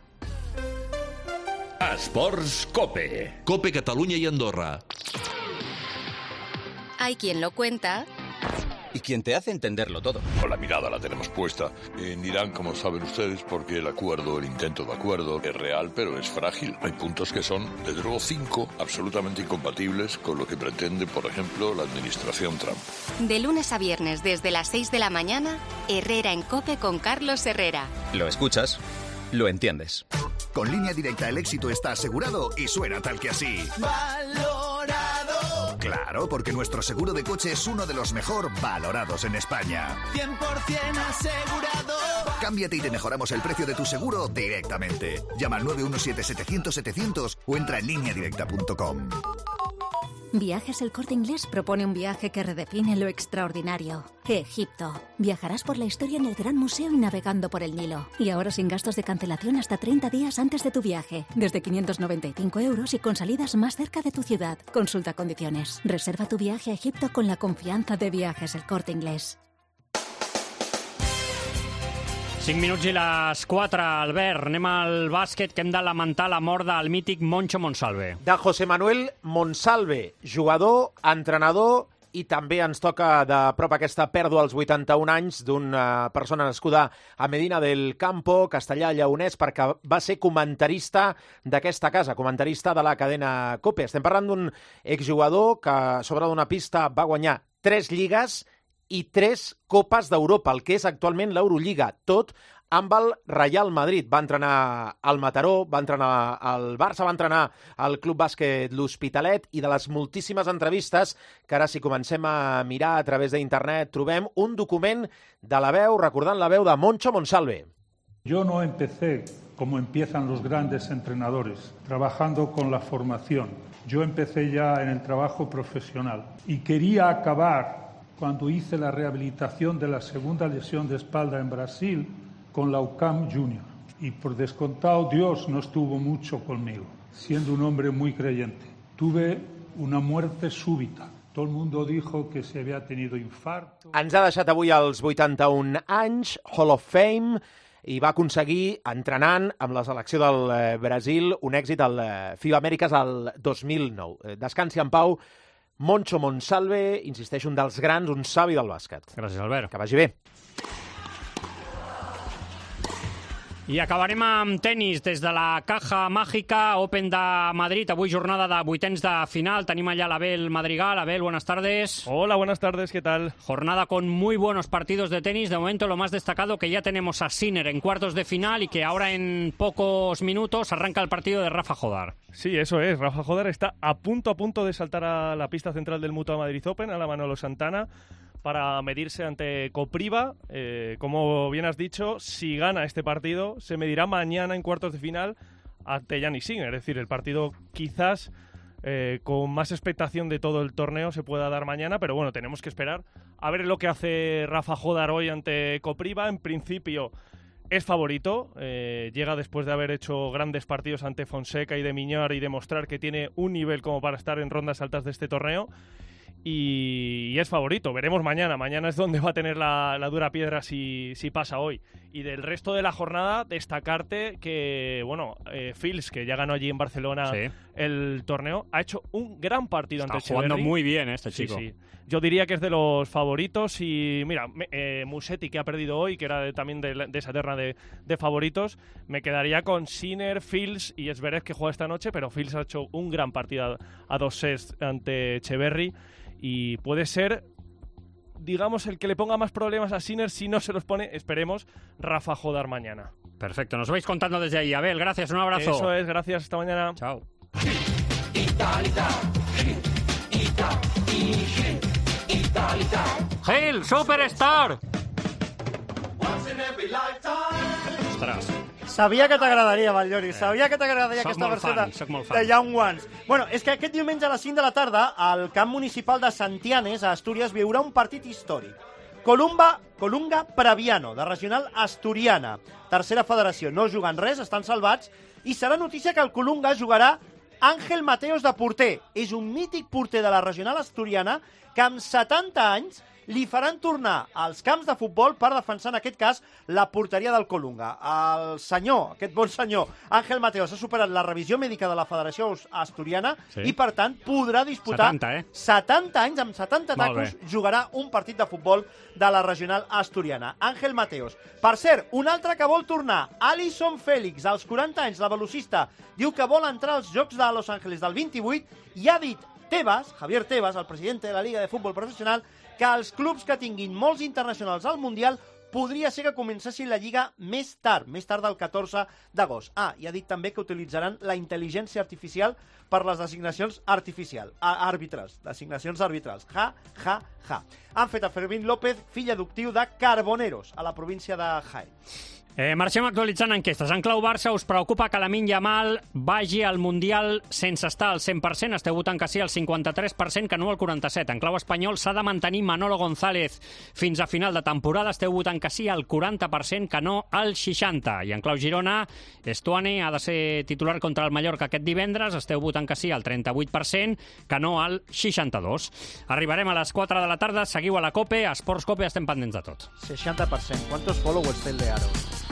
Esports Cope. Cope Catalunya i Andorra. Hay quien lo cuenta y quien te hace entenderlo todo. Con la mirada la tenemos puesta en Irán, como saben ustedes, porque el acuerdo, el intento de acuerdo es real, pero es frágil. Hay puntos que son, desde luego, cinco absolutamente incompatibles con lo que pretende, por ejemplo, la administración Trump. De lunes a viernes, desde las seis de la mañana, Herrera en COPE con Carlos Herrera. Lo escuchas, lo entiendes. Con Línea Directa el éxito está asegurado y suena tal que así. Valorado. Claro, porque nuestro seguro de coche es uno de los mejor valorados en España. cien por ciento asegurado. Cámbiate y te mejoramos el precio de tu seguro directamente. Llama al nueve uno siete setecientos setecientos o entra en línea directa punto com. Viajes El Corte Inglés propone un viaje que redefine lo extraordinario. Egipto. Viajarás por la historia en el Gran Museo y navegando por el Nilo. Y ahora sin gastos de cancelación hasta treinta días antes de tu viaje. Desde quinientos noventa y cinco euros y con salidas más cerca de tu ciudad. Consulta condiciones. Reserva tu viaje a Egipto con la confianza de Viajes El Corte Inglés. cinc minuts i les quatre, Albert. Anem al bàsquet, que hem de lamentar la mort del mític Moncho Monsalve. De José Manuel Monsalve, jugador, entrenador, i també ens toca de prop aquesta pèrdua als vuitanta-un anys d'una persona nascuda a Medina del Campo, Castellà Lleonès, perquè va ser comentarista d'aquesta casa, comentarista de la cadena COPE. Estem parlant d'un exjugador que sobre d'una pista va guanyar tres lligues i tres Copes d'Europa, el que és actualment l'Eurolliga, tot amb el Real Madrid. Va entrenar al Mataró, va entrenar al Barça, va entrenar al Club Bàsquet L'Hospitalet, i de les moltíssimes entrevistes que ara, si comencem a mirar a través d'internet, trobem un document de La Veu, recordant la veu de Moncho Monsalve. Yo no empecé como empiezan los grandes entrenadores, trabajando con la formación. Yo empecé ya en el trabajo profesional y quería acabar cuando hice la rehabilitación de la segunda lesión de espalda en Brasil con la U C A M Junior. Y por descontado, Dios no estuvo mucho conmigo, siendo un hombre muy creyente. Tuve una muerte súbita. Todo el mundo dijo que se había tenido infarto. Ens ha deixat avui als vuitanta-un anys, Hall of Fame, i va aconseguir, entrenant amb la selecció del Brasil, un èxit al FIBA Amèriques al dos mil nou. Descansi en pau, Moncho Monsalve, insisteix, un dels grans, un savi del bàsquet. Gràcies, Albert. Que vagi bé. I acabarem amb tenis des de la Caja Mágica Open de Madrid. Avui jornada de vuitens de final. Tenim allá a Abel Madrigal. Abel, buenas tardes. Hola, buenas tardes, ¿qué tal? Jornada con muy buenos partidos de tenis. De momento lo más destacado que ya tenemos a Sinner en cuartos de final y que ahora en pocos minutos arranca el partido de Rafa Jodar. Sí, eso es. Rafa Jodar está a punto a punto de saltar a la pista central del Mutua Madrid Open, a la Manolo Santana, para medirse ante Kopriva. Eh, como bien has dicho, si gana este partido, se medirá mañana en cuartos de final ante Jannik Sinner. Es decir, el partido quizás eh, con más expectación de todo el torneo se pueda dar mañana, pero bueno, tenemos que esperar a ver lo que hace Rafa Jodar hoy ante Kopriva. En principio es favorito, eh, llega después de haber hecho grandes partidos ante Fonseca y de Miñar y demostrar que tiene un nivel como para estar en rondas altas de este torneo. Y es favorito, veremos mañana. Mañana es donde va a tener la, la dura piedra si, si pasa hoy. Y del resto de la jornada, destacarte que, bueno, eh, Fils, que ya ganó allí en Barcelona sí. el torneo, ha hecho un gran partido Está ante Echeverry. jugando muy bien este chico. Sí, sí. Yo diría que es de los favoritos. Y mira, eh, Musetti, que ha perdido hoy, que era de, también de, de esa terna de, de favoritos, me quedaría con Sinner, Fils y Zverev, que juega esta noche, pero Fils ha hecho un gran partido a, a dos sets ante Echeverry. Y puede ser, digamos, el que le ponga más problemas a Sinner. Si no se los pone, esperemos, Rafa Jodar mañana. Perfecto, nos vais contando desde ahí. Abel, gracias, un abrazo. Eso es, gracias, hasta mañana. Chao. Gil, Superstar. Ostres. Sabia que t'agradaria, Batllori, Eh. sabia que t'agradaria Soc aquesta molt verseta fan, soc molt fan. de Young Ones. Bueno, és que aquest diumenge a les cinc de la tarda al camp municipal de Santianes, a Astúries, viurà un partit històric. Columba, Colunga Previano, de regional asturiana. Tercera federació, no juguen res, estan salvats, i serà notícia que el Colunga jugarà Àngel Mateos de porter. És un mític porter de la regional asturiana que amb setanta anys li faran tornar als camps de futbol per defensar, en aquest cas, la porteria del Colunga. El senyor, aquest bon senyor, Àngel Mateos, ha superat la revisió mèdica de la Federació Asturiana Sí. i, per tant, podrà disputar setanta, eh? setanta anys, amb setanta Molt tacos, bé. jugarà un partit de futbol de la regional asturiana. Àngel Mateos. Per cert, un altre que vol tornar, Alison Félix, als quaranta anys, la velocista, diu que vol entrar als Jocs de Los Ángeles del vint-i-vuit i ha dit Tebas, Javier Tebas, el president de la Liga de Futbol Professional, que els clubs que tinguin molts internacionals al Mundial podria ser que comencessin la Lliga més tard, més tard del catorze d'agost. Ah, i ha dit també que utilitzaran la intel·ligència artificial per les designacions artificials, àrbitres, designacions arbitrals. Ja, ja, ja. Han fet a Fermín López fill adoptiu de Carboneros, a la província de Jaén. Eh, marxem actualitzant enquestes. En clau Barça, us preocupa que Lamine Yamal vagi al Mundial sense estar al cent per cent? Esteu votant que sí al cinquanta-tres per cent, que no al quaranta-set per cent. En clau espanyol s'ha de mantenir Manolo González fins a final de temporada. Esteu votant que sí al quaranta per cent, que no al seixanta per cent. I en clau Girona, Estuani ha de ser titular contra el Mallorca aquest divendres. Esteu votant que sí al trenta-vuit per cent, que no al seixanta-dos per cent. Arribarem a les quatre de la tarda. Seguiu a la COPE. A Esports COPE estem pendents de tot. seixanta per cent. ¿Cuántos followers té el de Aro?